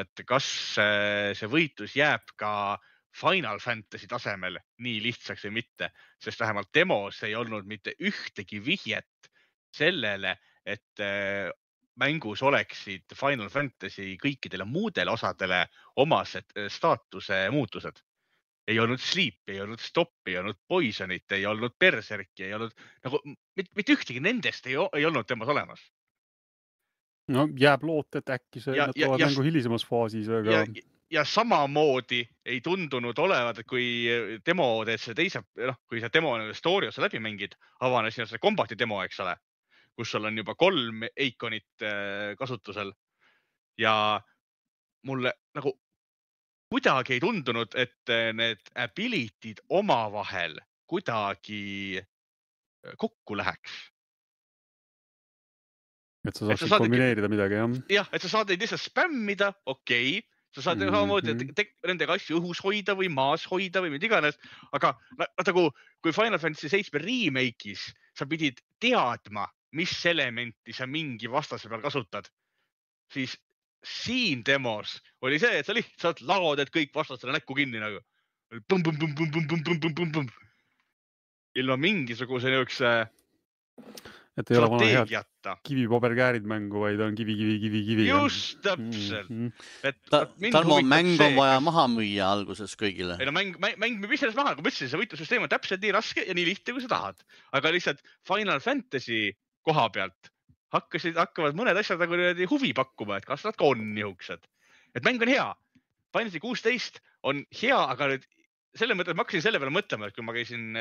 Speaker 3: Et kas see võitlus jääb ka Final Fantasy tasemel nii lihtsaks või mitte, sest vähemalt demos ei olnud mitte ühtegi vihjet sellele, et mängus oleksid Final Fantasy kõikidele muudele osadele omased staatuse muutused. Ei olnud Sleep, ei olnud Stop, ei olnud Poisonit, ei olnud Berserki, ei olnud nagu mitte ühtegi nendest ei olnud demos olemas.
Speaker 2: No jääb loot, et äkki see tulevad mängu hilisemas faasis.
Speaker 3: Ja samamoodi ei tundunud olevat, et kui demo teed see teise, kui see demo story osa läbi mängid, avanes see kombati demo, eks ole, kus sul on juba 3 eikonit kasutusel. Ja mulle nagu kuidagi ei tundunud, et need ability'd omavahel kuidagi kokku läheks.
Speaker 2: Et sa saaksid kombineerida midagi, jah?
Speaker 3: Jah, et sa saad neid lihtsalt spämmida, okei. Sa saad samamoodi nendega asju õhus hoida või maas hoida või mida iganes. Aga nagu, kui Final Fantasy 7 remake'is sa pidid teadma, mis elementi sa mingi vastase peal kasutad, siis siin demos oli see, et sa lihtsalt laod, et kõik vastasele näkku kinni nagu. Ilma mingisuguse niisuguse
Speaker 2: et ei ole vana head kivipaberkäärid mängu, vaid on kivi.
Speaker 3: Just täpselt.
Speaker 1: Tarmo, mäng on vaja maha müüa alguses kõigile.
Speaker 3: Ei no mäng müüb ise maha, kui mõtlesin, see võitlussüsteem on täpselt nii raske ja nii lihtne, kui sa tahad. Aga lihtsalt Final Fantasy koha pealt hakkavad mõned asjad nagu huvi pakkuma, et kas nad ka on niisugused. Et mäng on hea. Final Fantasy 16 on hea, aga nüüd selle mõttes ma hakkasin selle peale mõtlema, et kui ma käisin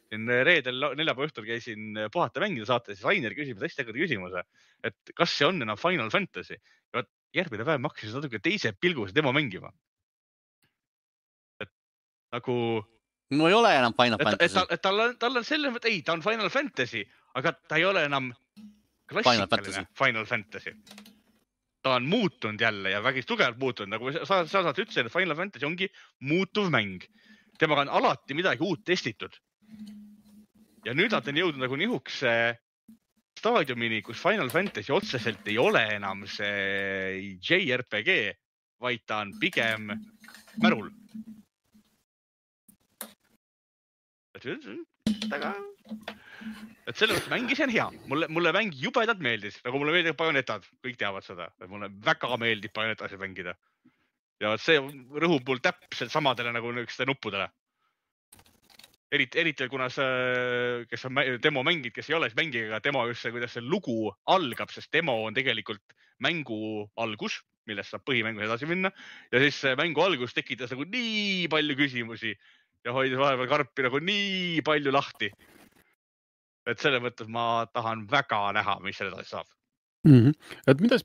Speaker 3: reedel 4. õhtul käisin puhata mängida saates, siis Rainer küsib hästi ägeda küsimuse, et kas see on enam Final Fantasy. Ja järgmine päev ma hakkasin natuke teise pilgus demo mängima. Et nagu...
Speaker 1: No ei ole enam Final Fantasy.
Speaker 3: Et tal on selle mõttes, ei, ta on Final Fantasy, aga ta ei ole enam klassikaline Final Fantasy. Ta on muutunud jälle ja väga tugevalt muutunud. Nagu sa saad ütlesin, et Final Fantasy ongi muutuv mäng. Temaga on alati midagi uut testitud. Ja nüüd nad on jõudnud nagu nihukse staadiumini, kus Final Fantasy otseselt ei ole enam see JRPG, vaid ta on pigem märul. aga et selle mõttes mängis on hea. Mulle mäng jubedalt meeldis, nagu mulle meeldib Bayonetad, kõik teavad seda. Mulle väga meeldib Bayonetasi mängida. Ja see rõhub mul täpselt samadele nagu nükeste nuppudele. Eriti kuna see, kes on demo mängid, kes ei ole mängiga, demo just see, kuidas see lugu algab, sest demo on tegelikult mängu algus, millest saab põhimängu edasi minna. Ja siis mängu algus tekitas nagu nii palju küsimusi ja hoidis vahepeal karpi nagu nii palju lahti. Et selle mõttes ma tahan väga näha, mis selle edasi saab.
Speaker 2: Et mida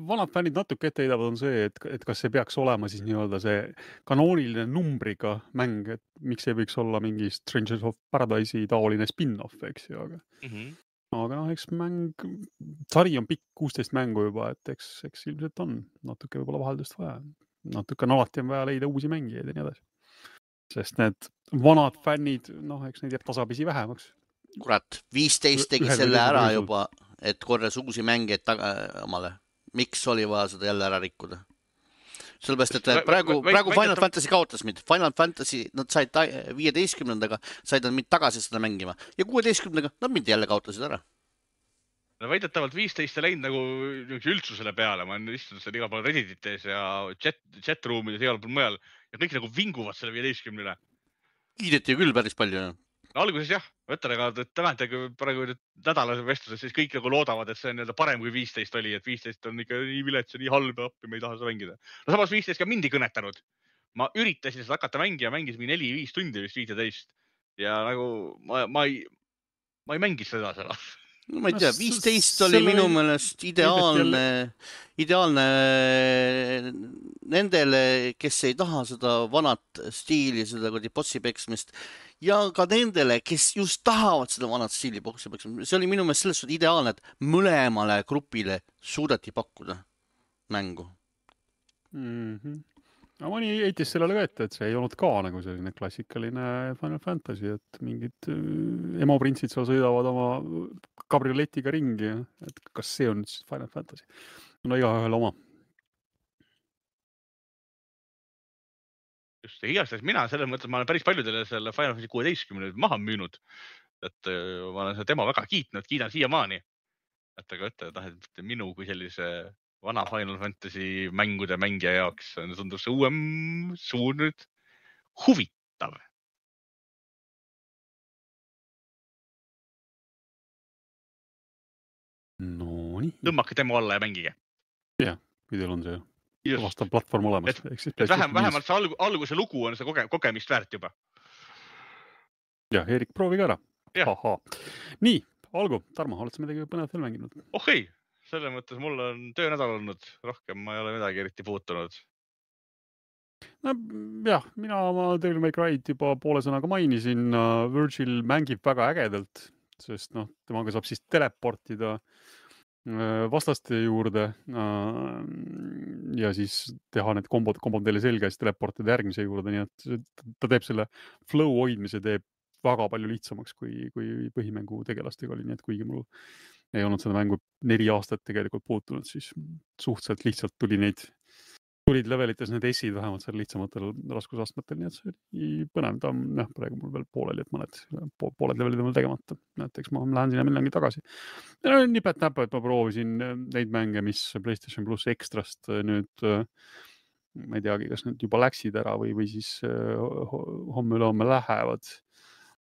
Speaker 2: vanad fännid natuke ette heidavad on see, et kas see peaks olema siis nii-öelda see kanooniline numbriga mäng, et miks ei võiks olla mingi Strangers of Paradise'i taoline spin-off, eks ju, aga eks sari on pikk 16 mängu juba, et eks ilmselt on natuke võib-olla vaheldust vaja. Natuke on alati vaja leida uusi mängijaid ja nii edasi. Sest need vanad fännid, eks neid jääb tasapisi vähemaks.
Speaker 1: Kurat, 15 tegi selle ära juba, et korras uusi mängijaid omale. Miks oli vaja seda jälle ära rikkuda? Sellepärast, et praegu Final Fantasy kaotas mind. Final Fantasy, nad said 15-ndaga, said nad mind tagasi seda mängima. Ja 16-ndaga nad mind jälle kaotasid ära.
Speaker 3: No väidetavalt 15 läinud nagu üldsusele peale. Ma olen istunud seal igal pool Redditis ja chat-ruumides igal pool mujal. Ja kõik nagu vinguvad selle 15-le.
Speaker 1: Kiideti küll päris palju.
Speaker 3: Alguses jah, võtan, aga tämäntage praegu nädalase vestluses, siis kõik nagu loodavad, et see on parem kui 15 oli, et 15 on ikka nii vilets ja nii halb ja appi, me ei taha seda mängida. No samas 15 ka mind ei kõnetanud. Ma üritasin seda hakata mängida, mängisin 4-5 tundi vist 15 ja nagu ma ei mängis seda seal.
Speaker 1: No ma ei tea, 15 oli minu meelest ideaalne nendele, kes ei taha seda vanat stiili, seda bossi peksmist ja ka nendele, kes just tahavad seda vanat stiili bossi peksmist. See oli minu meelest selles suhtes ideaalne, et mõlemale grupile suudeti pakkuda mängu.
Speaker 2: No mõni heitis sellele ka ette, et see ei olnud ka nagu selline klassikaline Final Fantasy, et mingid emoprinsid seal sõidavad oma kabrioletiga ringi, et kas see on siis Final Fantasy? No igaühel oma.
Speaker 3: Just, igastahes mina selles mõttes, ma olen päris paljudele selle Final Fantasy 16 maha müünud, et ma olen seda demo väga kiidan siiamaani. Et aga et minu kui sellise vana Final Fantasy mängude mängija jaoks tundub see uuem suur nüüd huvitav.
Speaker 2: No nii.
Speaker 3: Tõmmake demo alla ja mängige.
Speaker 2: Jah, kui teil on see vastav platvorm olemas.
Speaker 3: Vähemalt see alguse lugu on see kogemist väärt juba.
Speaker 2: Jah, Erik, proovi ka ära. Aha. Nii, algu. Tarmo, oled sa midagi põnevat veel mänginud?
Speaker 3: Ei. Selle mõttes mul on töönädal olnud, rohkem ma ei ole midagi eriti puutunud.
Speaker 2: No jah, mina oma Devil May Cry'd juba poole sõnaga mainisin. Virgil mängib väga ägedalt, sest temaga saab siis teleportida vastaste juurde ja siis teha need kombod teile selge ja siis teleportida järgmise juurde, nii et ta teeb selle flow hoidmise teeb väga palju lihtsamaks kui põhimängu tegelastega oli, nii et kuigi mul ei olnud seda mängu 4 aastat tegelikult puutunud, siis suhteliselt lihtsalt tulid levelites need essid vähemalt seal lihtsamatel raskusastmetel, nii et see oli põnev. Ta on praegu mul veel pooleli, et pooled levelid on veel tegemata. Näiteks ma lähen sinna millengi tagasi. Nipet-näpet, et ma proovisin neid mänge, mis PlayStation Plus Extrast nüüd, ma ei teagi, kas need juba läksid ära või siis homme lähevad.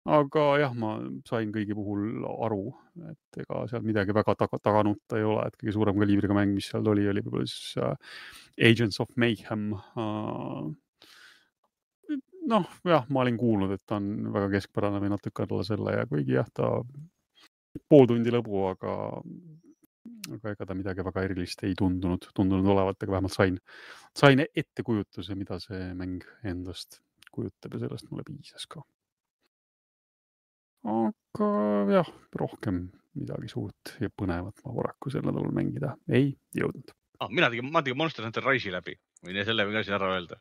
Speaker 2: Aga jah, ma sain kõigi puhul aru, et ega seal midagi väga taganutta ei ole, et kõige suurem kaliibriga mäng, mis seal oli võib-olla siis Agents of Mayhem. Jah, ma olin kuulnud, et ta on väga keskpärane või natuke alla selle ja kuigi jah, ta pool tundi lõbu, aga ega ta midagi väga erilist ei tundunud olevat, aga vähemalt sain ettekujutuse, mida see mäng endast kujutab ja sellest mulle piisas ka. Aga jah, rohkem midagi suurt ja põnevat ma paraku sel nädalal mängida ei jõudnud.
Speaker 3: Ma tegin Monster Hunter Rise'i läbi, või selle võin ka siin ära öelda.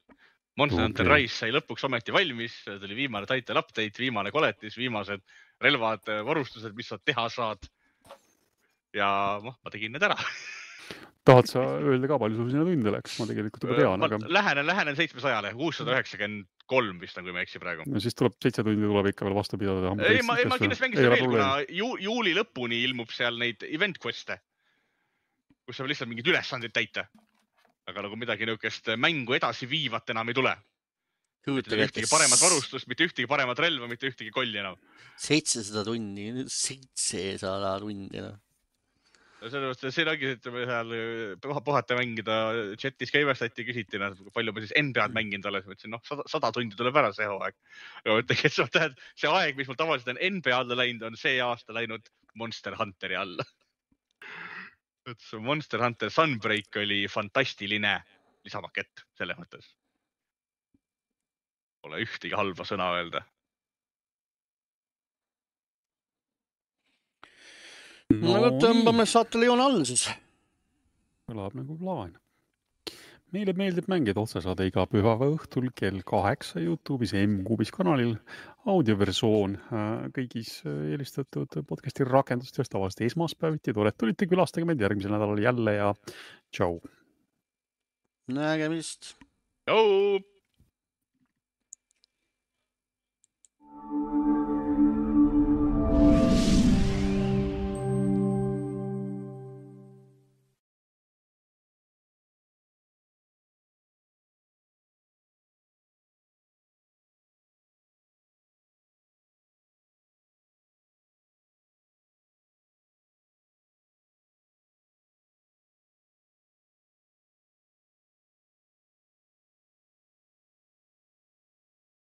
Speaker 3: Monster Hunter Rise sai lõpuks ometi valmis, tuli viimane title update, viimane koletis, viimased relvad, varustused, mis sa teha saad. Ja ma tegin need ära.
Speaker 2: tahad sa öelda ka, palju sul sinna tunde läks? Ma tegelikult juba tean, aga...
Speaker 3: Lähenen 700-le, 693 vist on, kui ma eksi praegu.
Speaker 2: No siis tuleb 7 tundi tuleb ikka veel vastu pidada.
Speaker 3: Ei, ma kindlasti mängin seda veel, kuna juuli lõpuni ilmub seal neid event quest'e, kus saab lihtsalt mingid ülesandeid täita. Aga nagu midagi niukest mängu edasi viivat enam ei tule. Mitte ühtegi paremat varustust, mitte ühtegi paremat relva, mitte ühtegi kolli enam.
Speaker 1: 700 tundi, 700 tundi.
Speaker 3: See ongi, et me seal puhata mängida chatis käivestati, küsiti, palju ma siis NBA-d mänginud olen. Ma ütlesin, 100 tundi tuleb ära see hooaeg. See aeg, mis mul tavaliselt on NBA alla läinud, on see aasta läinud Monster Hunteri alla. Monster Hunter Sunbreak oli fantastiline lisamakett selles mõttes. Pole ühtegi halba sõna öelda.
Speaker 1: No tõmbame saatele joone all siis.
Speaker 2: Kõlab nagu plaan. Meile meeldib mängida otsesaade iga pühava õhtul kell 8 YouTube'is M-Kuubis kanalil. Audioversioon kõigis eelistatud podcasti rakendustes tavaliselt esmaspäeviti. Tore, et tulite, külastage meid järgmisel nädalal jälle ja tšau.
Speaker 3: Nägemist. Tšau.